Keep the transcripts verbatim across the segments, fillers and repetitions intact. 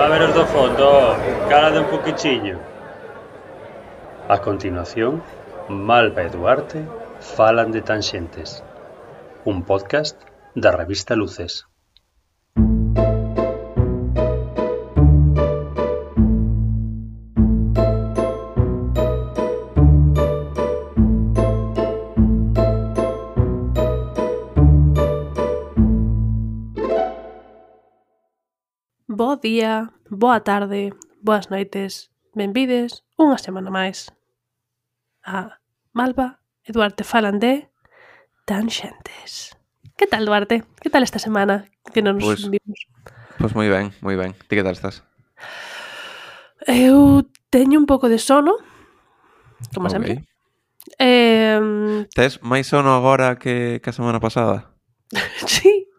A ver os do fondo, calade un poquichiño. A continuación, Malva e Duarte falan de Tanxentes, un podcast da revista Luces. Bo día, boa tarde, boas noites, benvides unha semana máis a Malva e Duarte falan de Tanxentes. Que tal, Duarte? Que tal esta semana que non nos Pois, vimos? pois moi ben, moi ben. Ti que tal estás? Eu teño un pouco de sono, como Ok. sempre. Eh, Tes máis sono agora que, que a semana pasada? sí,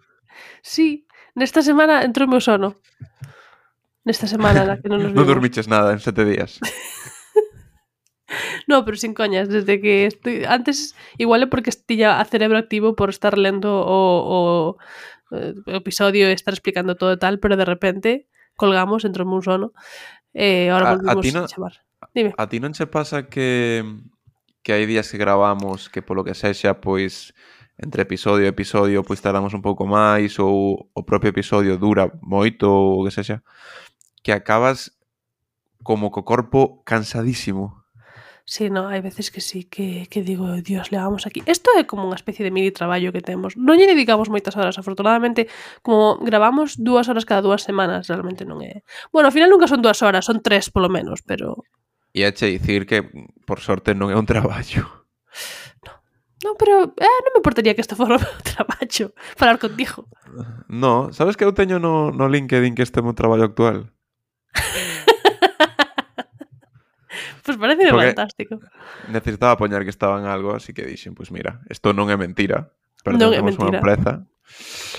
sí. Nesta semana entrou o meu sono. Nesta semana na que non nos Non vimos. dormiches nada en sete días. No, pero sin coñas, desde que estoy... Antes, igual é porque tiña a cerebro activo por estar lendo o, o, o episodio e estar explicando todo e tal, pero de repente colgamos, entrou un sono, e ahora A, a, volvimos ti non, a chamar. Dime. a ti non che pasa que que hai días que gravamos que polo que sexa, pois entre episodio e episodio pois tardamos un pouco máis ou o propio episodio dura moito ou o que sexa, que acabas como co corpo cansadísimo. Sí, no, hai veces que sí, que, que digo, Dios, levamos aquí. Isto é como unha especie de mini traballo que temos. Non lle dedicamos moitas horas, afortunadamente, como gravamos dúas horas cada dúas semanas, realmente non é... Bueno, ao final nunca son dúas horas, son tres polo menos, pero... E é che dicir que, por sorte, non é un traballo. No, pero eh, non me importaría que isto fora o meu traballo, falar contigo. No, sabes que eu teño no, no LinkedIn que este é o meu traballo actual? Pois pues parece Porque fantástico. necesitaba poñer que estaba en algo, así que dixen, pois pues mira, isto non é mentira, Non é pertencemos a unha mentira. empresa,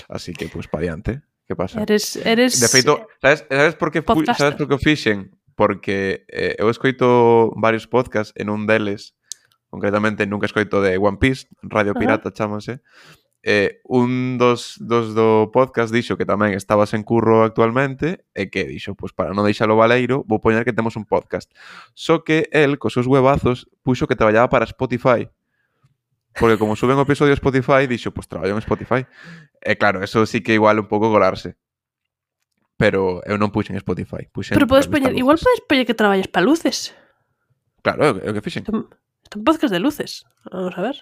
así que, pois, pues, pa diante. Que pasa? Eres, eres... De feito, sabes, sabes por que fu- podcaster. sabes por que o fixen? Porque eh, eu escoito varios podcasts en un deles, concretamente nunca escoito de One Piece, Radio Ajá. Pirata chámase. Eh, un dos, dos do podcast dixo que tamén estabas en curro actualmente e que dixo, pois para non deixalo baleiro vou poñer que temos un podcast. Só que el, cos seus huevazos, puxo que traballaba para Spotify. Porque como suben o episodio a Spotify, dixo, pois traballo en Spotify. E claro, eso sí que igual un pouco colarse. Pero eu non puxen Spotify, puxen Pero podes Revista poñer, igual Luces. podes poñer que traballes para luces. Claro, é o- é o que fixen. Isto isto é un podcast de luces. Vamos a ver.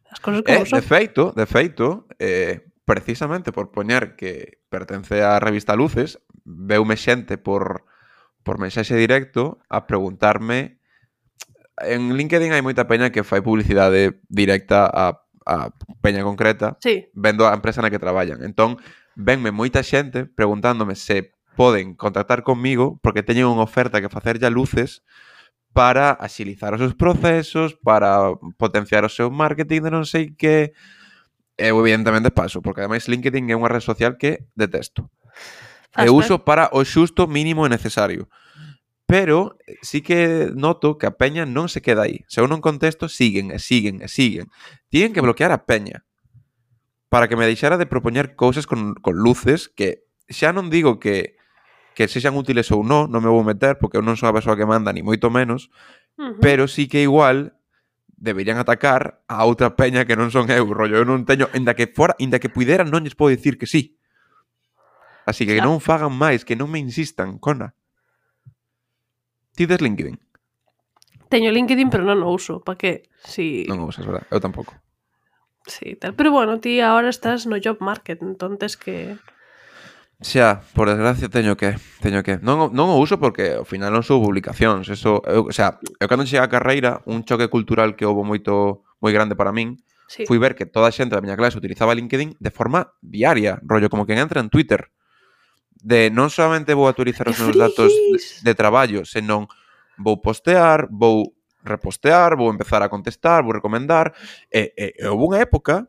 As cosas Eh, como de son. feito, de feito, eh, precisamente por poñer que pertence á revista Luces, veume xente por, por mensaxe directo a preguntarme. En LinkedIn hai moita peña que fai publicidade directa a, a peña concreta, Sí. vendo a empresa na que traballan. Entón, venme moita xente preguntándome se poden contactar conmigo porque teñen unha oferta que facer ya Luces para axilizar os seus procesos, para potenciar o seu marketing de non sei que. Eu evidentemente paso, porque ademais LinkedIn é unha rede social que detesto. Fas E ben. uso para o xusto mínimo e necesario. Pero sí que noto que a peña non se queda aí. Se eu non contesto, siguen e siguen e siguen. Tienen que bloquear a peña para que me deixara de propoñer cousas con, con luces que xa non digo que que sexan útiles ou non, non me vou meter porque eu non sou a persoa que manda, ni moito menos, Uh-huh. pero sí que igual deberían atacar a outra peña que non son eu, rollo, eu non teño, inda que fora, inda que puidera, non lles podo dicir que sí. Así que Xa. non fagan máis, que non me insistan, cona. Ti des LinkedIn? Teño LinkedIn, pero non o uso. Pa que? Si... Non o usas, verdad? Eu tampouco. Sí, tal. Pero bueno, ti agora estás no job market, entonces que... Xa, por desgracia teño que, teño que. Non, o- non o uso porque ao final non sou publicacións, eso, eu, o sea, eu cando cheguei á carreira, un choque cultural que houbo moito moi grande para min, Sí. fui ver que toda a xente da miña clase utilizaba LinkedIn de forma diaria, rollo como quen entra en Twitter. De non solamente vou actualizar os ¡Qué meus datos de, frikis! de traballo, senón vou postear, vou repostear, vou empezar a contestar, vou recomendar, e, e, e houve unha época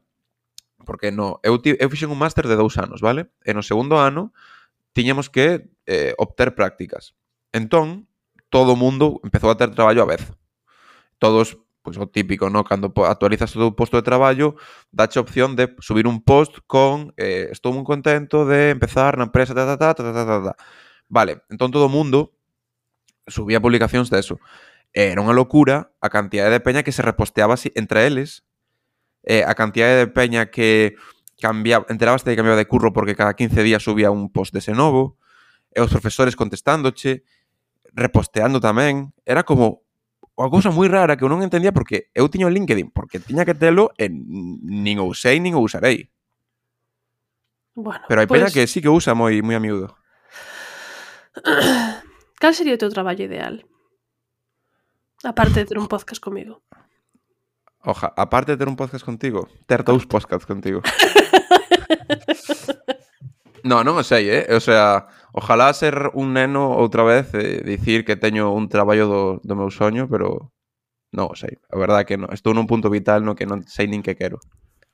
porque no, eu, ti, eu fixen un máster de dous anos, vale? E no segundo ano tiñamos que eh, obter prácticas. Entón, todo o mundo empezou a ter traballo a vez. Todos, pois o típico, ¿no? Cando actualizas o teu posto de traballo, dache opción de subir un post con eh, estou moi contento de empezar na empresa, ta, ta, ta, ta, ta, ta, ta. Vale, entón todo o mundo subía publicacións deso. Era unha locura a cantidade de peña que se reposteaba así entre eles, eh, a cantidade de peña que cambiaba, enterábaste de que cambiaba de curro porque cada quince días subía un post dese novo, e os profesores contestándoche, reposteando tamén. Era como unha cousa moi rara que eu non entendía porque eu tiño o LinkedIn, porque tiña que telo e nin o usei nin o usarei. Bueno, Pero hai pues, peña que sí que usa moi moi a miúdo. cal sería o teu traballo ideal? Aparte de ter un podcast comigo. Oja, aparte de ter un podcast contigo, ter dous podcasts contigo. No, non o sei, eh? O sea, ojalá ser un neno outra vez e dicir que teño un traballo do, do meu soño, pero non o sei. A verdade é que non. Estou nun punto vital no que non sei nin que quero.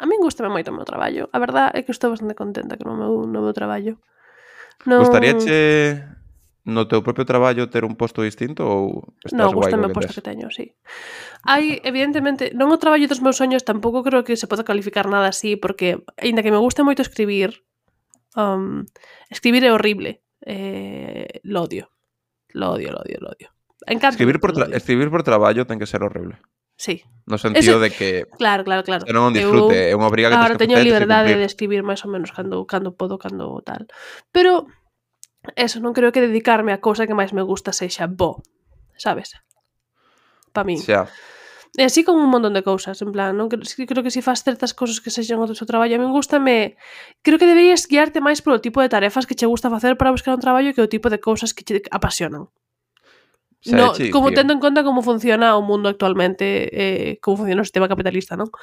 A min gustame moito o meu traballo. A verdade é que estou bastante contenta con o meu, no meu traballo. Non... Gustaríache no teu propio traballo ter un posto distinto ou estás No, guai gustame co o que posto tes? que teño, sí. Hai, evidentemente, non o traballo dos meus soños, tampouco creo que se pode calificar nada así, porque, aínda que me guste moito escribir, um, escribir é horrible. Eh, lo odio. Lo odio, lo odio, lo odio. Encanta, Escribir por, lo tra odio. escribir por traballo ten que ser horrible. Sí. No sentido Ese... de que Claro, claro, claro. non un disfrute, é unha obriga que Ahora tens que teño facer, tens que liberdade cumprir. de escribir máis ou menos cando, cando podo, cando tal. Pero, eso, non creo que dedicarme a cousa que máis me gusta sexa bo, sabes? Pa min. Xa. E así con un montón de cousas, en plan, non creo, creo que se faz certas cousas que sexan o teu traballo, a min gustame, creo que deberías guiarte máis polo tipo de tarefas que che gusta facer para buscar un traballo que o tipo de cousas que che apasionan. Xa No, che como dicir. tendo en conta como funciona o mundo actualmente, eh, como funciona o sistema capitalista, non?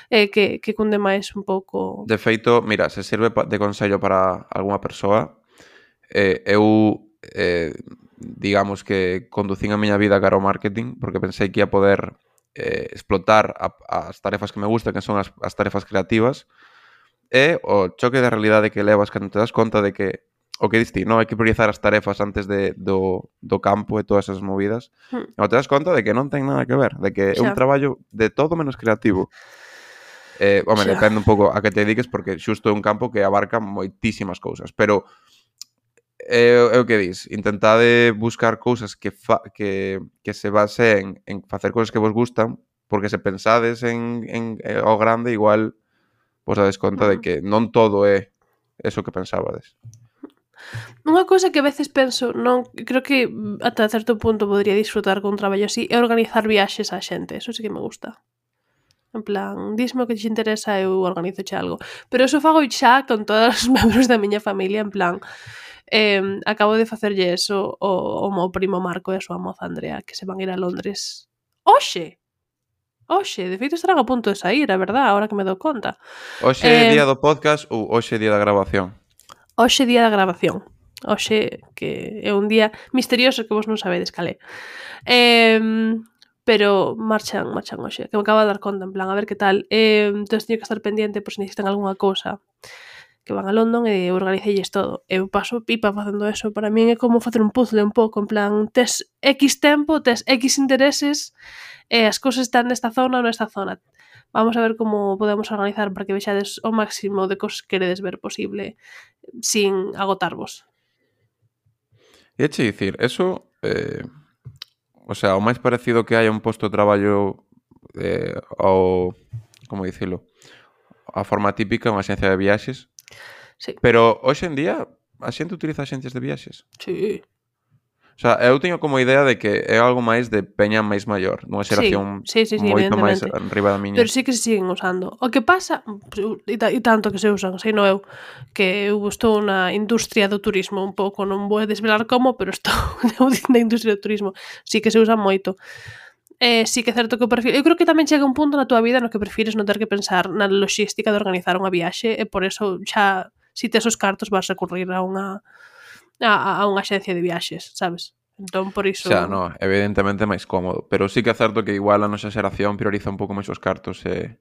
Eh, que, que cunde máis un pouco... De feito, mira, se sirve de consello para algunha persoa, eh, eu, eh, digamos que conducín a miña vida cara ao marketing porque pensei que ia poder eh, explotar a, as tarefas que me gustan, que son as, as tarefas creativas, e o choque de realidade que levas cando te das conta de que o que diste, non? Hai que priorizar as tarefas antes de, do, do campo e todas esas movidas. Hmm. E te das conta de que non ten nada que ver, de que é un Xa. traballo de todo menos creativo. Eh, home, Xa. depende un pouco a que te dediques porque xusto é un campo que abarca moitísimas cousas, pero é, é o que dis, intentade buscar cousas que, fa, que, que se baseen en facer cousas que vos gustan, porque se pensades en, en, en ao grande, igual vos dades conta de que non todo é eso que pensabades. Unha cousa que a veces penso, non, creo que ata certo punto podría disfrutar con un traballo así, é organizar viaxes á xente, eso sí que me gusta. En plan, dísme o que te interesa, eu organizo xa algo. Pero eso fago xa con todos os membros da miña familia, en plan, eh, acabo de facerlle eso o, o meu primo Marco e a súa moza Andrea, que se van ir a Londres. Oxe! Oxe, de feito estarán a punto de sair, a verdad, ahora que me dou conta. Hoxe é Eh, día do podcast ou hoxe é día da grabación? Hoxe día da grabación. Hoxe, que é un día misterioso que vos non sabedes calé. Eh, pero marchan, marchan hoxe, que me acabo de dar conta, en plan, a ver que tal. Eh, entón teño que estar pendiente por se necesitan algunha cousa, que van a London e organicelles todo. Eu paso pipa facendo eso. Para min é como facer un puzzle un pouco, en plan, tes X tempo, tes X intereses, e as cousas están nesta zona ou nesta zona. Vamos a ver como podemos organizar para que vexades o máximo de cosas que queredes ver posible sin agotarvos. E che dicir, eso, eh, o sea, o máis parecido que hai a un posto de traballo eh, ao, como dicilo, a forma típica, unha axencia de viaxes. Sí. Pero hoxe en día a xente utiliza axencias de viaxes. Sí. O sea, eu teño como idea de que é algo máis de peña máis maior, nunha xeración sí, sí, sí, moito máis evidentemente. arriba da miña. Pero sí que se siguen usando. O que pasa, e, ta, e tanto que se usan, sei no eu, que eu estou na industria do turismo un pouco, non vou desvelar como, pero estou na industria do turismo. Sí que se usa moito. Eh, sí que é certo que o perfil... Eu creo que tamén chega un punto na túa vida no que prefires non ter que pensar na logística de organizar unha viaxe e por eso xa, si tes os cartos, vas recurrir a unha a, a unha axencia de viaxes, sabes? Entón, por iso... Xa, no, evidentemente máis cómodo. Pero sí que é certo que igual a nosa xeración prioriza un pouco máis os cartos e,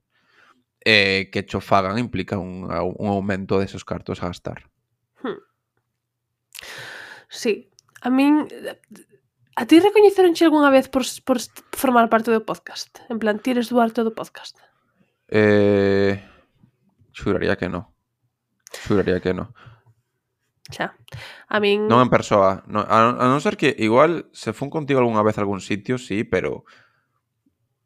e que cho fagan implica un, un aumento desos cartos a gastar. Hmm. Sí. A min... A ti recoñeceronche algunha vez por, por formar parte do podcast? En plan, ti eres Duarte do podcast? Eh, xuraría que no. Xuraría que no. Xa. A min... Non en persoa. No, a, a non ser que igual se fun contigo algunha vez a algún sitio, sí, pero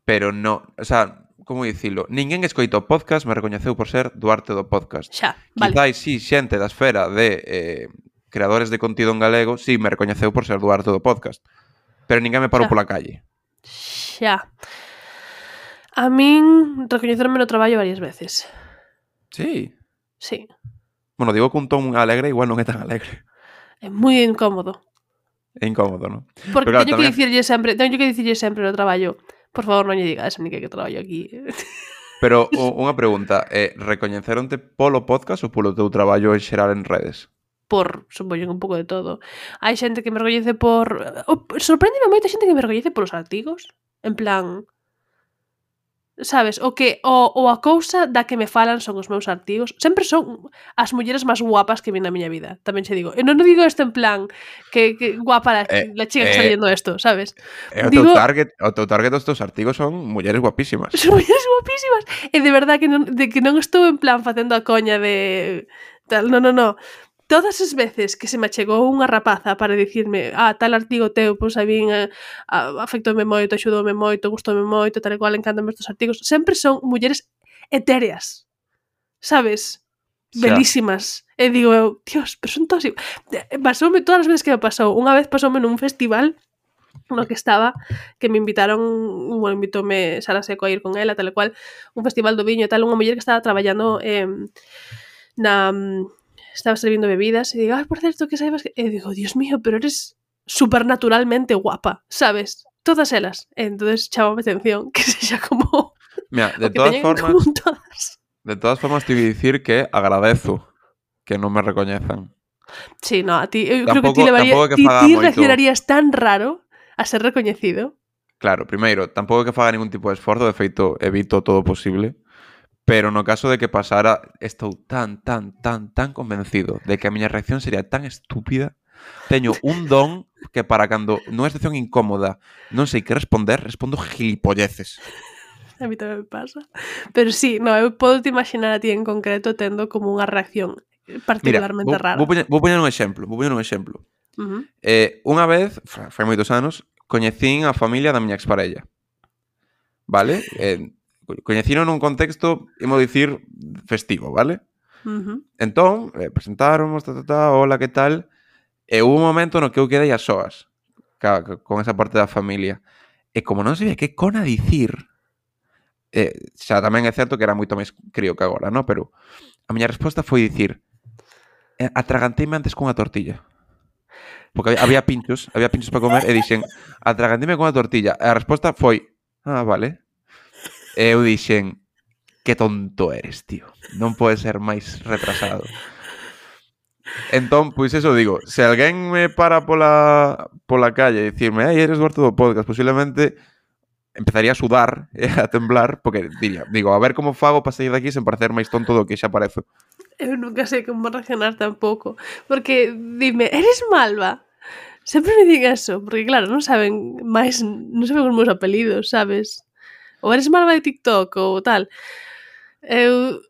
pero no, o sea, como dicilo, ninguén escoita o podcast me recoñeceu por ser Duarte do podcast. Xa, vale. Quizais sí, xente da esfera de eh, creadores de contido en galego, sí, me recoñeceu por ser Duarte do podcast. Pero ninguén me parou Xa. pola calle. Xa. A min recoñecerme no traballo varias veces. Sí. Sí. Bueno, digo que un ton alegre igual non é tan alegre. É moi incómodo. É incómodo, non? Porque Pero claro, teño tamén... que dicirlle sempre, teño que dicirlle sempre no traballo, por favor, non lle digas a Nique que traballo aquí. Pero o, unha pregunta, eh, recoñeceronte polo podcast ou polo teu traballo en xeral en redes? Por, supoño, un pouco de todo. Hai xente que me recoñece por... O, sorpréndeme moita xente que me recoñece polos artigos. En plan... Sabes, o que o, o a cousa da que me falan son os meus artigos. Sempre son as mulleres máis guapas que vi na miña vida, tamén che digo. E non digo isto en plan que, que guapa la, Eh, la chica que eh, está leyendo esto, sabes? E o Digo- teu target, o teu target dos teus artigos son mulleres guapísimas. Son mulleres guapísimas. E de verdad que non, de que non estou en plan facendo a coña de... Tal, no, no, no. Todas as veces que se me chegou unha rapaza para dicirme ah, tal artigo teu, pois a min eh, afectoume moito, axudoume moito, gustoume moito, tal e cual, encantame estes artigos, sempre son mulleres etéreas, sabes? Xa. Belísimas. E digo eu, Dios, pero son todas... Pasoume todas as veces que me pasou. Unha vez pasoume nun festival no que estaba, que me invitaron, bueno, invitóme Sara Seco a ir con ela, tal e cual, un festival do viño e tal, unha muller que estaba traballando eh, na... Estaba servindo bebidas e digo, ay, por certo, que saibas que... E digo, Dios mío, pero eres supernaturalmente guapa, sabes? Todas elas. E entonces chamame atención que sexa como... Mira, de o que todas teñen en formas, común todas. de todas formas te voy a dicir que agradezo que non me recoñezan. Sí, no, a ti, eu creo que Tampouco- ti levaría, tampouco que ti, faga ti moito- reaccionarías tan raro a ser recoñecido. Claro, primeiro, tampouco é que faga ningún tipo de esforzo, de feito, evito todo o posible. Pero no caso de que pasara, estou tan, tan, tan, tan convencido de que a miña reacción sería tan estúpida. Teño un don que para cando nunha situación incómoda non sei que responder, respondo gilipolleces. A mí tamén me pasa. Pero sí, no, eu podo te imaginar a ti en concreto tendo como unha reacción Mira, particularmente vou, rara. vou, poñer, vou poñer un exemplo, vou poñer un exemplo. Uh-huh. Eh, unha vez, fa- fai moitos anos, coñecín a familia da miña exparella. Vale? Eh, coñecino nun contexto, imos dicir, festivo, vale? Uh-huh. Entón, eh, presentáramos, ta, ta, ta, hola, que tal? E hubo un momento no que eu quedei a soas ca, ca, con esa parte da familia. E como non sabía que cona dicir, eh, xa tamén é certo que era moito máis crío que agora, no? Pero a miña resposta foi dicir eh, atraganteime antes cunha tortilla. Porque había, había pinchos, había pinchos para comer e dixen atraganteime cunha tortilla. E a resposta foi ah, vale. E eu dixen que tonto eres, tío. Non podes ser máis retrasado. Entón, pois eso digo, se alguén me para pola pola calle e dicirme, "Ei, eres Duarte do podcast", posiblemente empezaría a sudar e a temblar, porque diría, digo, a ver como fago para sair daqui sen parecer máis tonto do que xa parezo. Eu nunca sei como reaccionar tampouco. Porque, dime, eres malva? Sempre me din eso, porque claro, non saben máis, non saben os meus apelidos, sabes? Ou eres malva de TikTok ou tal. Eu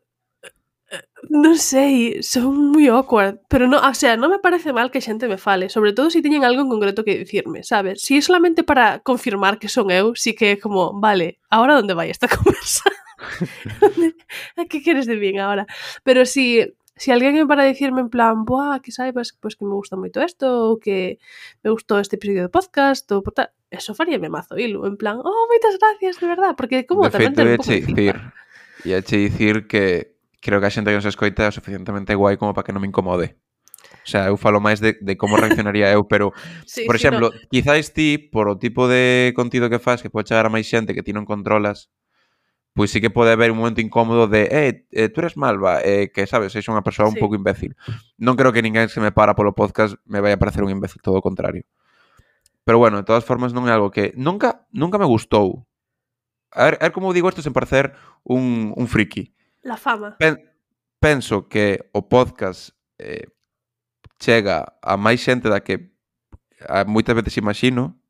non sei, son moi awkward, pero no, o sea, non me parece mal que xente me fale, sobre todo se si teñen algo en concreto que dicirme, sabes? Si é solamente para confirmar que son eu, si que é como, vale, ahora onde vai esta conversa? A que queres de min agora? Pero si si alguén é para dicirme en plan, buah, que saibas pues, que me gusta moito isto, ou que me gustou este episodio do podcast, ou por tal, eso faríame mazo hilo, en plan, oh, moitas gracias, de verdad, porque como De tamén feito, ten un ia pouco che de dicir, feedback. ia che dicir que creo que a xente que nos escoita é o suficientemente guai como para que non me incomode. O sea, eu falo máis de, de como reaccionaría eu, pero, Sí, por sí, exemplo, no. quizáis ti, por o tipo de contido que faz, que pode chegar a máis xente que ti non controlas, pois sí que pode haber un momento incómodo de eh, eh tú eres malva, eh, que, sabes, és unha persoa un Sí. pouco imbécil. Non creo que ninguén se me para polo podcast me vai a parecer un imbécil, todo o contrario. Pero bueno, de todas formas non é algo que nunca nunca me gustou. A ver, a ver como digo isto sen parecer un, un friki. La fama. Pen, penso que o podcast eh, chega a máis xente da que a moitas veces imagino.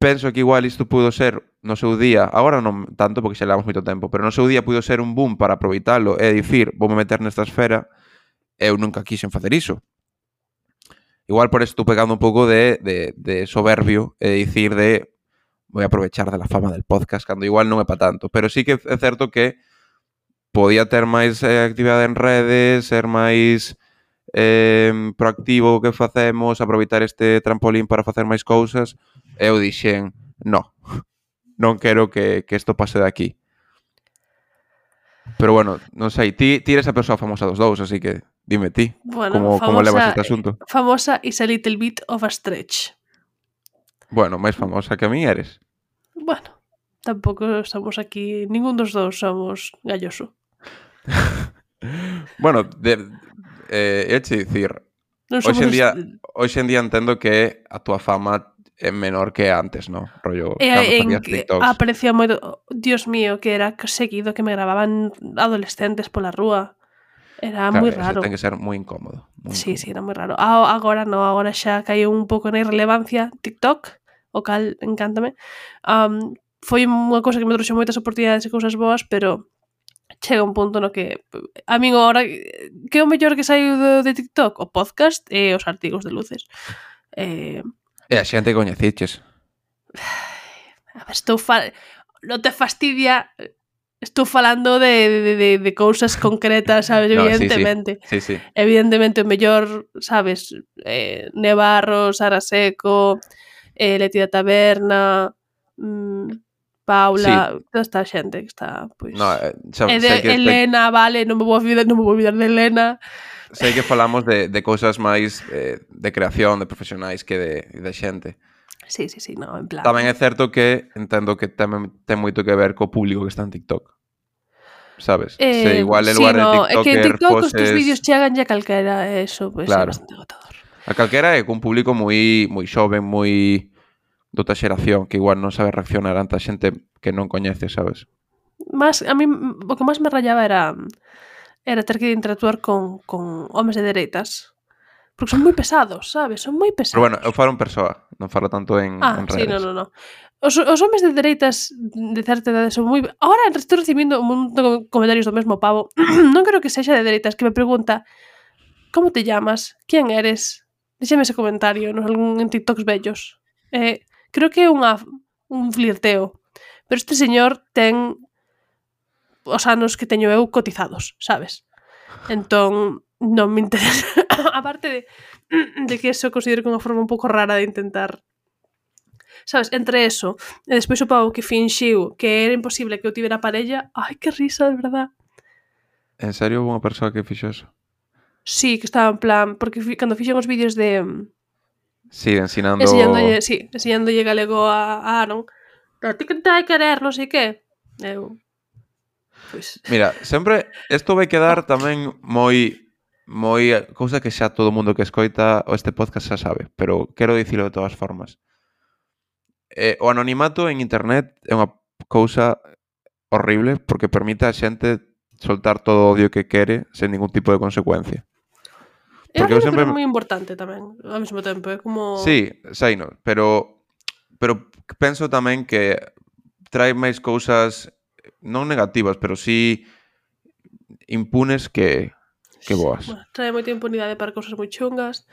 Penso que igual isto pudo ser no seu día, agora non tanto porque xa levamos moito tempo, pero no seu día pudo ser un boom para aproveitalo e dicir, vou me meter nesta esfera, eu nunca quixen facer iso. igual por eso estou pegando un pouco de, de, de soberbio e dicir de voy a aprovechar de la fama del podcast, cando igual non é pa tanto. Pero sí que é certo que podía ter máis eh, actividade en redes, ser máis eh, proactivo o que facemos, aproveitar este trampolín para facer máis cousas. E eu dixen, no, non quero que, que isto pase de aquí. Pero bueno, non sei, ti, ti eres a persoa famosa dos dous, así que dime ti, Bueno, como, famosa, como levas este asunto? Famosa is a little bit of a stretch. Bueno, máis famosa que a mí eres. Bueno, tampouco estamos aquí, ningún dos dous somos galloso. Bueno, de, eh, é che dicir, Non hoxe en somos día, est- hoxe en día entendo que a túa fama é menor que antes, ¿no? Rollo, E cando en facías que TikToks. aprecia moito, Dios mío, que era seguido que me grababan adolescentes pola rúa. Era Claro, moi eso raro. ten que ser moi incómodo. Moi Sí, incómodo. sí, era moi raro. A- Agora no, agora xa caeu un pouco na irrelevancia TikTok, o cal encántame. Um, foi unha cousa que me trouxe moitas oportunidades e cousas boas, pero chega un punto no que a min agora que é o mellor que saiu de, de TikTok? O podcast e os artigos de luces. Eh, E a xente coñeciches. a ver, estou fal... non te fastidia, estou falando de, de, de, de cousas concretas, sabes, No, sí, sí. evidentemente. Sí, sí. Evidentemente o mellor, sabes, eh, Nevarro, Sara Seco, eh, Leti da Taberna, mm, Paula, sí. Toda esta xente que está, pois... No, eh, xa, E sei de que Elena, sei... vale, non me vou olvidar, non me vou olvidar de Elena. sei que falamos de, de cousas máis eh, de creación, de profesionais que de, de xente. Sí, sí, sí, no, en plan... Tamén é certo que entendo que ten, ten moito que ver co público que está en TikTok. Sabes? Eh, Se igual en sí, lugar no, de é que en TikToker TikTok os foses... tus vídeos chegan ya calquera, eso, pois pues, Claro. é bastante agotador. A calquera é cun público moi moi xoven, moi doutra xeración, que igual non sabe reaccionar ante a xente que non coñece, sabes? Más, a mí, o que máis me rayaba era era ter que interactuar con, con homes de dereitas. Porque son moi pesados, sabes? Son moi pesados. Pero bueno, eu falo en persoa, non falo tanto en, ah, en sí, redes. no, no, no. Os, os homes de dereitas de certa idade son moi... Ahora estou recibindo un montón de comentarios do mesmo pavo. Non creo que sexa de dereitas, que me pregunta como te llamas? ¿Quién eres? Déxame ese comentario en, algún, en TikToks bellos. Eh, creo que é unha, un flirteo. Pero este señor ten os anos que teño eu cotizados, sabes? Entón, non me interesa. Aparte de, de que eso considero que é unha forma un pouco rara de intentar, sabes, entre eso e despois o pavo que finxiu que era imposible que eu tivera parella. Ai, que risa, de verdad. En serio, houve unha persoa que fixo eso? Sí, que estaba en plan, porque fi, cando fixen os vídeos de sí, ensinando enseñándolle, sí, enseñándolle galego a, a Aaron, a ti que te hai querer, non sei que eu pois... Mira, sempre isto vai quedar tamén moi moi cousa que xa todo o mundo que escoita este podcast xa sabe, pero quero dicilo de todas formas. Eh, o anonimato en internet é unha cousa horrible porque permite a xente soltar todo o odio que quere sen ningún tipo de consecuencia. É Porque eu sempre... sempre... moi importante tamén, ao mesmo tempo, é como... Sí, sei, no, pero pero penso tamén que trae máis cousas non negativas, pero sí impunes que que boas. Bueno, trae moita impunidade para cousas moi chungas,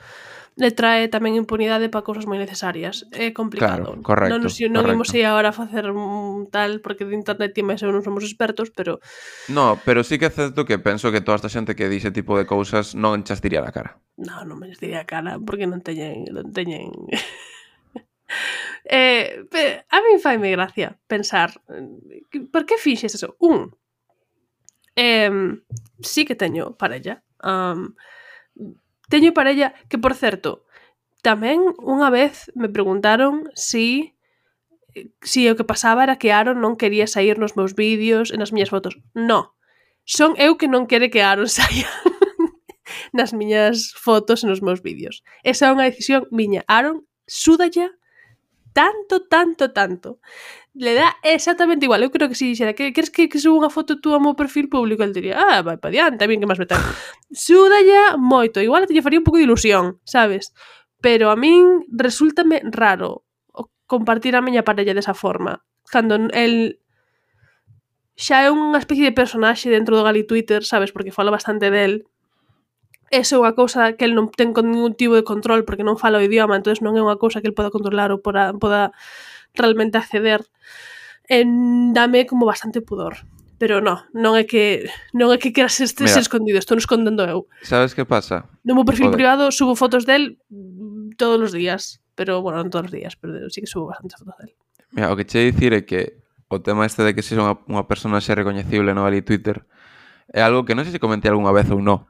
le trae tamén impunidade para cousas moi necesarias. É complicado. Claro, correcto, non, nos, non correcto. imos ir agora a facer un tal, porque de internet e máis eu non somos expertos, pero... No, pero sí que é certo que penso que toda esta xente que dixe tipo de cousas non chas diría na cara. No, non me les diría a cara, porque non teñen... Non teñen... eh, pero a mí faime gracia pensar por que fixes eso? Un, eh, sí que teño parella. Um, teño parella que, por certo, tamén unha vez me preguntaron si si o que pasaba era que Aaron non quería sair nos meus vídeos e nas miñas fotos. No, son eu que non quere que Aaron saia nas miñas fotos e nos meus vídeos. Esa é unha decisión miña. Aaron súdalla tanto, tanto, tanto. Le dá exactamente igual. Eu creo que si dixera que queres que, que suba unha foto tú ao meu perfil público, el diría, ah, vai pa diante, a min que máis me ten. Súdalla moito. Igual te lle faría un pouco de ilusión, sabes? Pero a min resúltame raro compartir a miña parella desa forma. Cando el xa é unha especie de personaxe dentro do Gali Twitter, sabes? Porque falo bastante del. eso é unha cousa que el non ten con ningún tipo de control porque non fala o idioma, entonces non é unha cousa que el poda controlar ou poda, poda realmente acceder. En, dame como bastante pudor. Pero no, non é que non é que queras este ser escondido, estou non escondendo eu. Sabes que pasa? No meu perfil Joder. privado subo fotos del todos os días, pero bueno, non todos os días, pero sí que subo bastantes fotos del. Mira, o que che dicir é que o tema este de que sexa unha, unha persona xe recoñecible no ali Twitter é algo que non sei se comentei algunha vez ou non.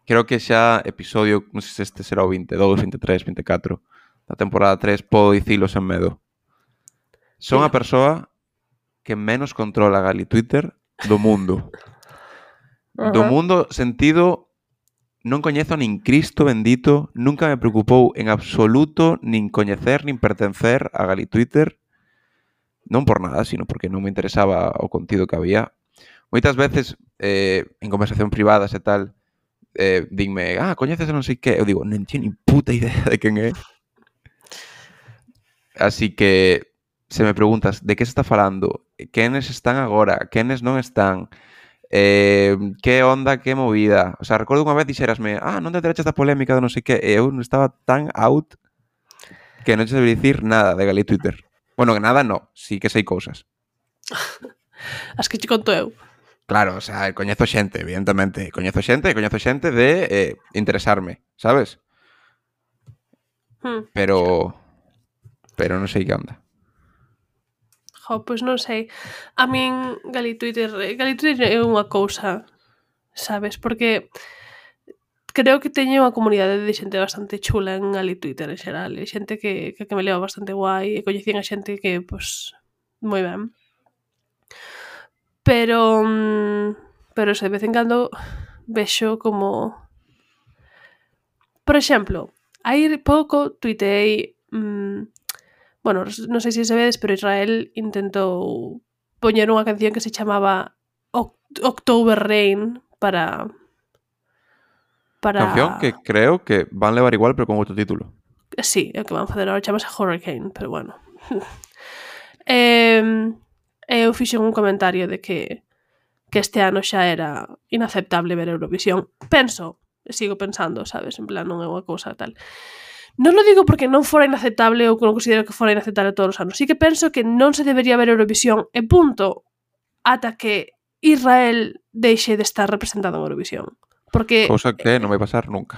Creo que xa episodio, non sei se este será o veintidós, veintitrés, veinticuatro da temporada tres, podo dicilo sen medo. Son a persoa que menos controla gali Twitter do mundo. Uh-huh. Do mundo sentido non coñezo nin Cristo bendito, nunca me preocupou en absoluto nin coñecer nin pertencer a gali Twitter, non por nada, sino porque non me interesaba o contido que había. Moitas veces, eh, en conversación privadas e tal, eh, dinme, ah, coñeces a non sei que, eu digo, non teño ni puta idea de quen é. Así que, se me preguntas de que se está falando, quenes están agora, quenes non están, eh, que onda, que movida. O sea, recordo unha vez dixerasme, ah, non te enteraches da polémica de non sei que, e eu non estaba tan out que non te sabía dicir nada de gali Twitter. Bueno, que nada no, sí que sei cousas. As que te conto eu. Claro, o sea, coñezo xente, evidentemente. Coñezo xente, coñezo xente de eh, interesarme, sabes? Hmm. Pero... Pero non sei que onda. Jo, pois non sei. A min, gali Twitter... Gali Twitter é unha cousa, sabes? Porque creo que teño unha comunidade de xente bastante chula en gali Twitter en xeral. E xente que, que, que me leva bastante guai. E coñecín a xente que, pois, moi ben. Pero... Pero se de vez en cando vexo como... Por exemplo, hai pouco tuiteei... Mmm, bueno, non sei se sabedes, pero Israel intentou poñer unha canción que se chamaba October Rain para... para... Canción que creo que van levar igual, pero con outro título. Sí, é o que van facer agora, chamase Hurricane, pero bueno. eh, eu fixen un comentario de que que este ano xa era inaceptable ver Eurovisión. Penso, sigo pensando, sabes, en plan non é unha cousa tal. Non lo digo porque non fora inaceptable ou non considero que fora inaceptable todos os anos. Sí que penso que non se debería ver Eurovisión e punto ata que Israel deixe de estar representado en Eurovisión. Porque... Cousa que non vai pasar nunca.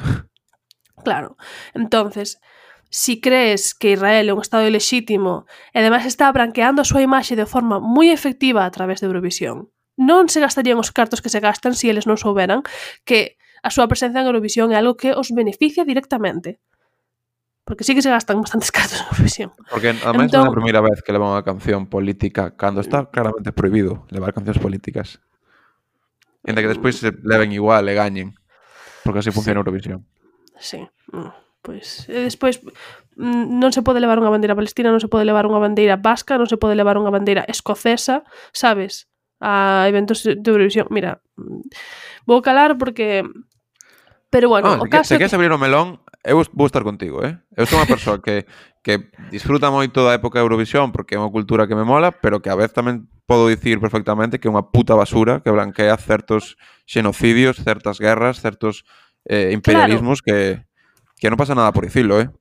Claro. Entonces, si crees que Israel é un estado ilexítimo e ademais está branqueando a súa imaxe de forma moi efectiva a través de Eurovisión, non se gastarían os cartos que se gastan se eles non souberan que a súa presencia en Eurovisión é algo que os beneficia directamente. Porque sí que se gastan bastantes cartos en Eurovisión. Porque además entón, non é a primeira vez que levan unha canción política cando está claramente prohibido levar cancións políticas. Enda que despois se leven igual e gañen. Porque así funciona sí. Eurovisión. Sí. Pois, e despois non se pode levar unha bandeira palestina, non se pode levar unha bandeira vasca, non se pode levar unha bandeira escocesa, sabes? A eventos de Eurovisión. Mira, vou calar porque... Pero bueno, ah, o se caso... Se queres abrir o melón, eu vou estar contigo, eh? Eu sou unha persoa que, que disfruta moito da época de Eurovisión porque é unha cultura que me mola, pero que a vez tamén podo dicir perfectamente que é unha puta basura que blanquea certos xenocidios, certas guerras, certos eh, imperialismos claro. que, que non pasa nada por dicilo, eh?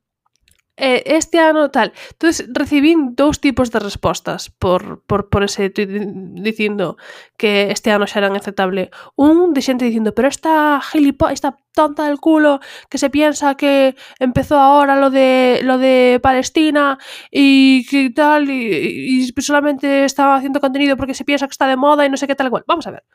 Este ano tal. Entonces recibín dous tipos de respostas por, por, por ese tweet dicindo que este ano xa era inaceptable. Un de xente dicindo, pero esta gilipo, esta tonta del culo que se piensa que empezó ahora lo de lo de Palestina y que tal y, y solamente está haciendo contenido porque se piensa que está de moda y no sé qué tal igual. Vamos a ver.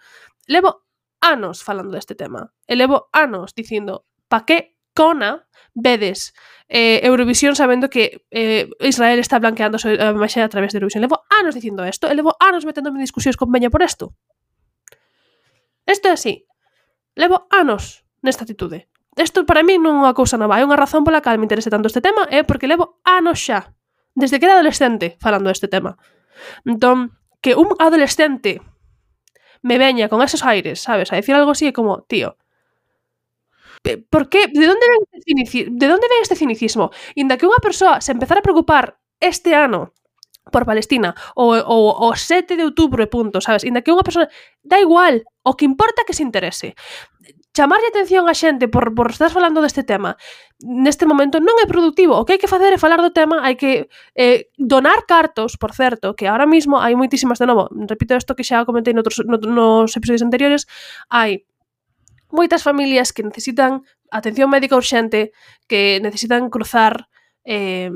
Levo anos falando deste tema. E levo anos dicindo, pa que cona vedes eh, Eurovisión sabendo que eh, Israel está blanqueando a imaxe a través de Eurovisión. Levo anos dicindo isto e levo anos meténdome en discusións con Peña por isto. Isto é así. Levo anos nesta atitude. Isto para mí non é unha cousa nova. Hai unha razón pola cal me interese tanto este tema é porque levo anos xa, desde que era adolescente, falando deste tema. Entón, que un adolescente me veña con esos aires, sabes, a decir algo así é como, tío, ¿por qué? ¿De dónde ven este cinicismo? ¿De dónde ven este cinicismo? Inda que unha persoa se empezara a preocupar este ano por Palestina o, o, o sete de outubro e punto, sabes? Inda que unha persoa... Da igual, o que importa é que se interese. chamarlle atención a xente por, por estás falando deste tema neste momento non é productivo. O que hai que facer é falar do tema, hai que eh, donar cartos, por certo, que ahora mismo hai moitísimas, de novo, repito isto que xa comentei noutros, no, nos episodios anteriores, hai moitas familias que necesitan atención médica urxente, que necesitan cruzar eh,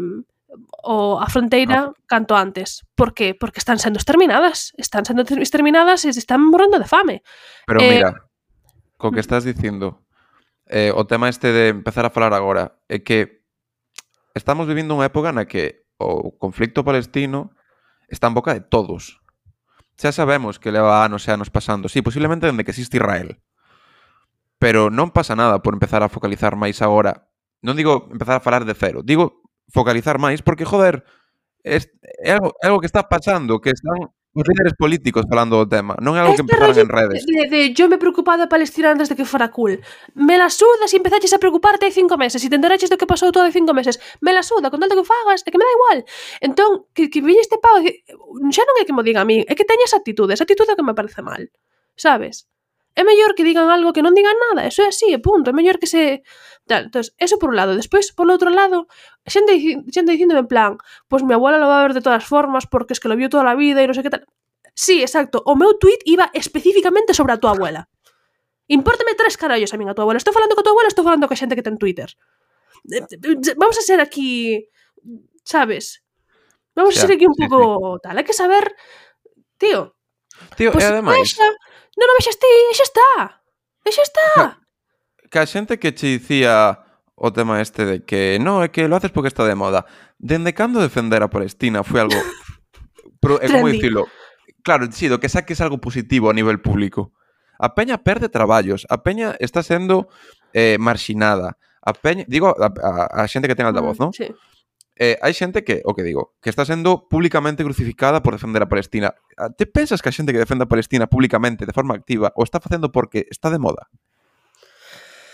o a fronteira canto antes. Por que? Porque están sendo exterminadas, están sendo exterminadas e están morrendo de fame. Pero eh, mira, co que estás dicindo, eh, o tema este de empezar a falar agora, é que estamos vivindo unha época na que o conflicto palestino está en boca de todos. Xa sabemos que leva anos e anos pasando, sí, posiblemente dende que existe Israel, pero non pasa nada por empezar a focalizar máis agora. Non digo empezar a falar de cero, digo focalizar máis, porque, joder, é, é, algo, é algo que está pasando, que están os líderes políticos falando do tema, non é algo que este empezaron rollo en redes. de, de yo me preocupaba de Palestina antes de que fora cool. Me la suda si empezaches a preocuparte hai cinco meses, si te enteraches do que pasou todo hai cinco meses. Me la suda, con tal de que fagas, é que me da igual. Entón, que, que viñe este pavo, xa non é que mo diga a mí, é que teña esa actitude, esa actitude que me parece mal, sabes? É mellor que digan algo que non digan nada, eso é así, é punto, é mellor que se... Tal, entonces, eso por un lado. Despois, por outro lado, xente, xente dicindo en plan, pois pues mi abuela lo va a ver de todas formas porque es que lo vio toda la vida e non sei que tal... Sí, exacto. O meu tweet iba especificamente sobre a tua abuela. Impórtame tres carallos a min a tua abuela. Estou falando con a tua abuela, estou falando con xente que ten Twitter. Vamos a ser aquí, sabes? Vamos a ser aquí un sí, pouco sí. Tal. Hai que saber, tío. Tío, pues, e ademais... Vexa, non o vexas ti, e xa está. E xa está. Que, que a xente que che dicía o tema este de que no, é que lo haces porque está de moda. Dende cando defender a Palestina foi algo... Pero, é como dicilo... Claro, sí, do que saques algo positivo a nivel público. A peña perde traballos, a peña está sendo eh, marxinada. A peña, digo, a, a, a xente que ten altavoz, mm, ¿no? Sí. Eh, hai xente que, o que digo, que está sendo públicamente crucificada por defender a Palestina. Te pensas que a xente que defende a Palestina públicamente, de forma activa, o está facendo porque está de moda?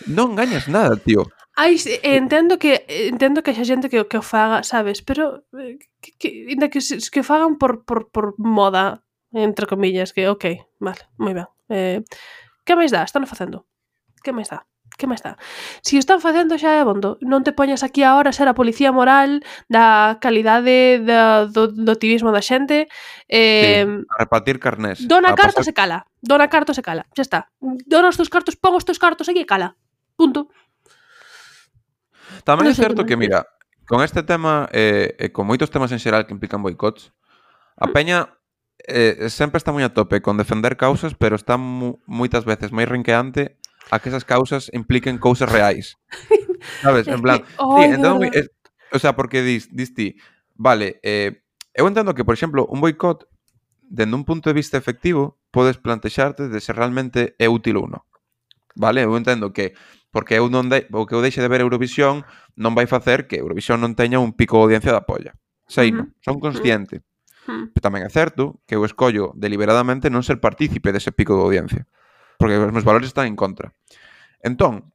Non gañas nada, tío. Ai, entendo que entendo que xa xente que, que o faga, sabes, pero que, que, que, que o fagan por, por, por moda, entre comillas, que ok, vale, moi ben. Eh, que máis dá? Están facendo. Que máis dá? Que máis dá? Si o están facendo xa é abondo. Non te poñas aquí agora a ser a policía moral da calidade da, do, do activismo da xente. Eh, sí, a repartir carnés. Dona carta pasar... se cala. Dona carta se cala. Xa está. Dona os teus cartos, pon os teus cartos aquí e cala. Punto. Tamén é certo que, mira, con este tema e eh, eh, con moitos temas en xeral que implican boicots, a peña eh, sempre está moi a tope con defender causas, pero está mu moitas veces máis rinqueante a que esas causas impliquen cousas reais. Sabes? En plan, sí, entón, es, o sea, porque dis, dis ti, vale, eh, eu entendo que, por exemplo, un boicot, dende un punto de vista efectivo, podes plantexarte de se realmente é útil ou non. Vale? Eu entendo que porque eu non de, o que eu deixe de ver Eurovisión non vai facer que Eurovisión non teña un pico de audiencia da polla. Sei, non? Son consciente. Uh-huh. Pero tamén é certo que eu escollo deliberadamente non ser partícipe dese pico de audiencia. Porque os meus valores están en contra. Entón,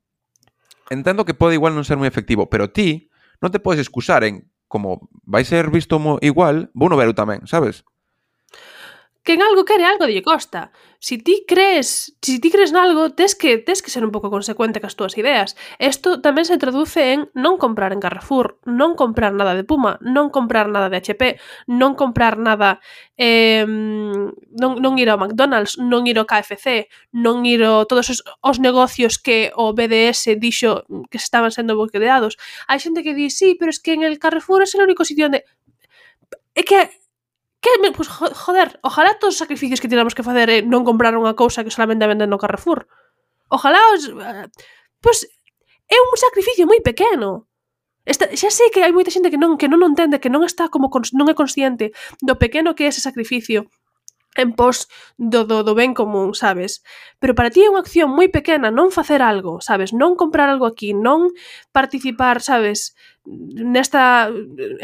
entendo que pode igual non ser moi efectivo, pero ti non te podes excusar en como vai ser visto igual, vou no ver eu tamén, sabes? Que en algo quere algo lle costa. Si ti crees, si ti crees nalgo, tes que tes que ser un pouco consecuente cas túas ideas. Isto tamén se traduce en non comprar en Carrefour, non comprar nada de Puma, non comprar nada de H P, non comprar nada eh, non, non ir ao McDonald's, non ir ao K F C, non ir ao todos os, os negocios que o B D S dixo que se estaban sendo boicoteados. Hai xente que di, sí, pero es que en el Carrefour é o único sitio onde... É que Que, pues, joder, ojalá todos os sacrificios que tiramos que facer é non comprar unha cousa que solamente venden no Carrefour. Ojalá os... Pues é un sacrificio moi pequeno. Esta, xa sei que hai moita xente que non que non entende, que non está como non é consciente do pequeno que é ese sacrificio en pos do, do, do ben común, sabes? Pero para ti é unha acción moi pequena non facer algo, sabes? Non comprar algo aquí, non participar, sabes? Nesta,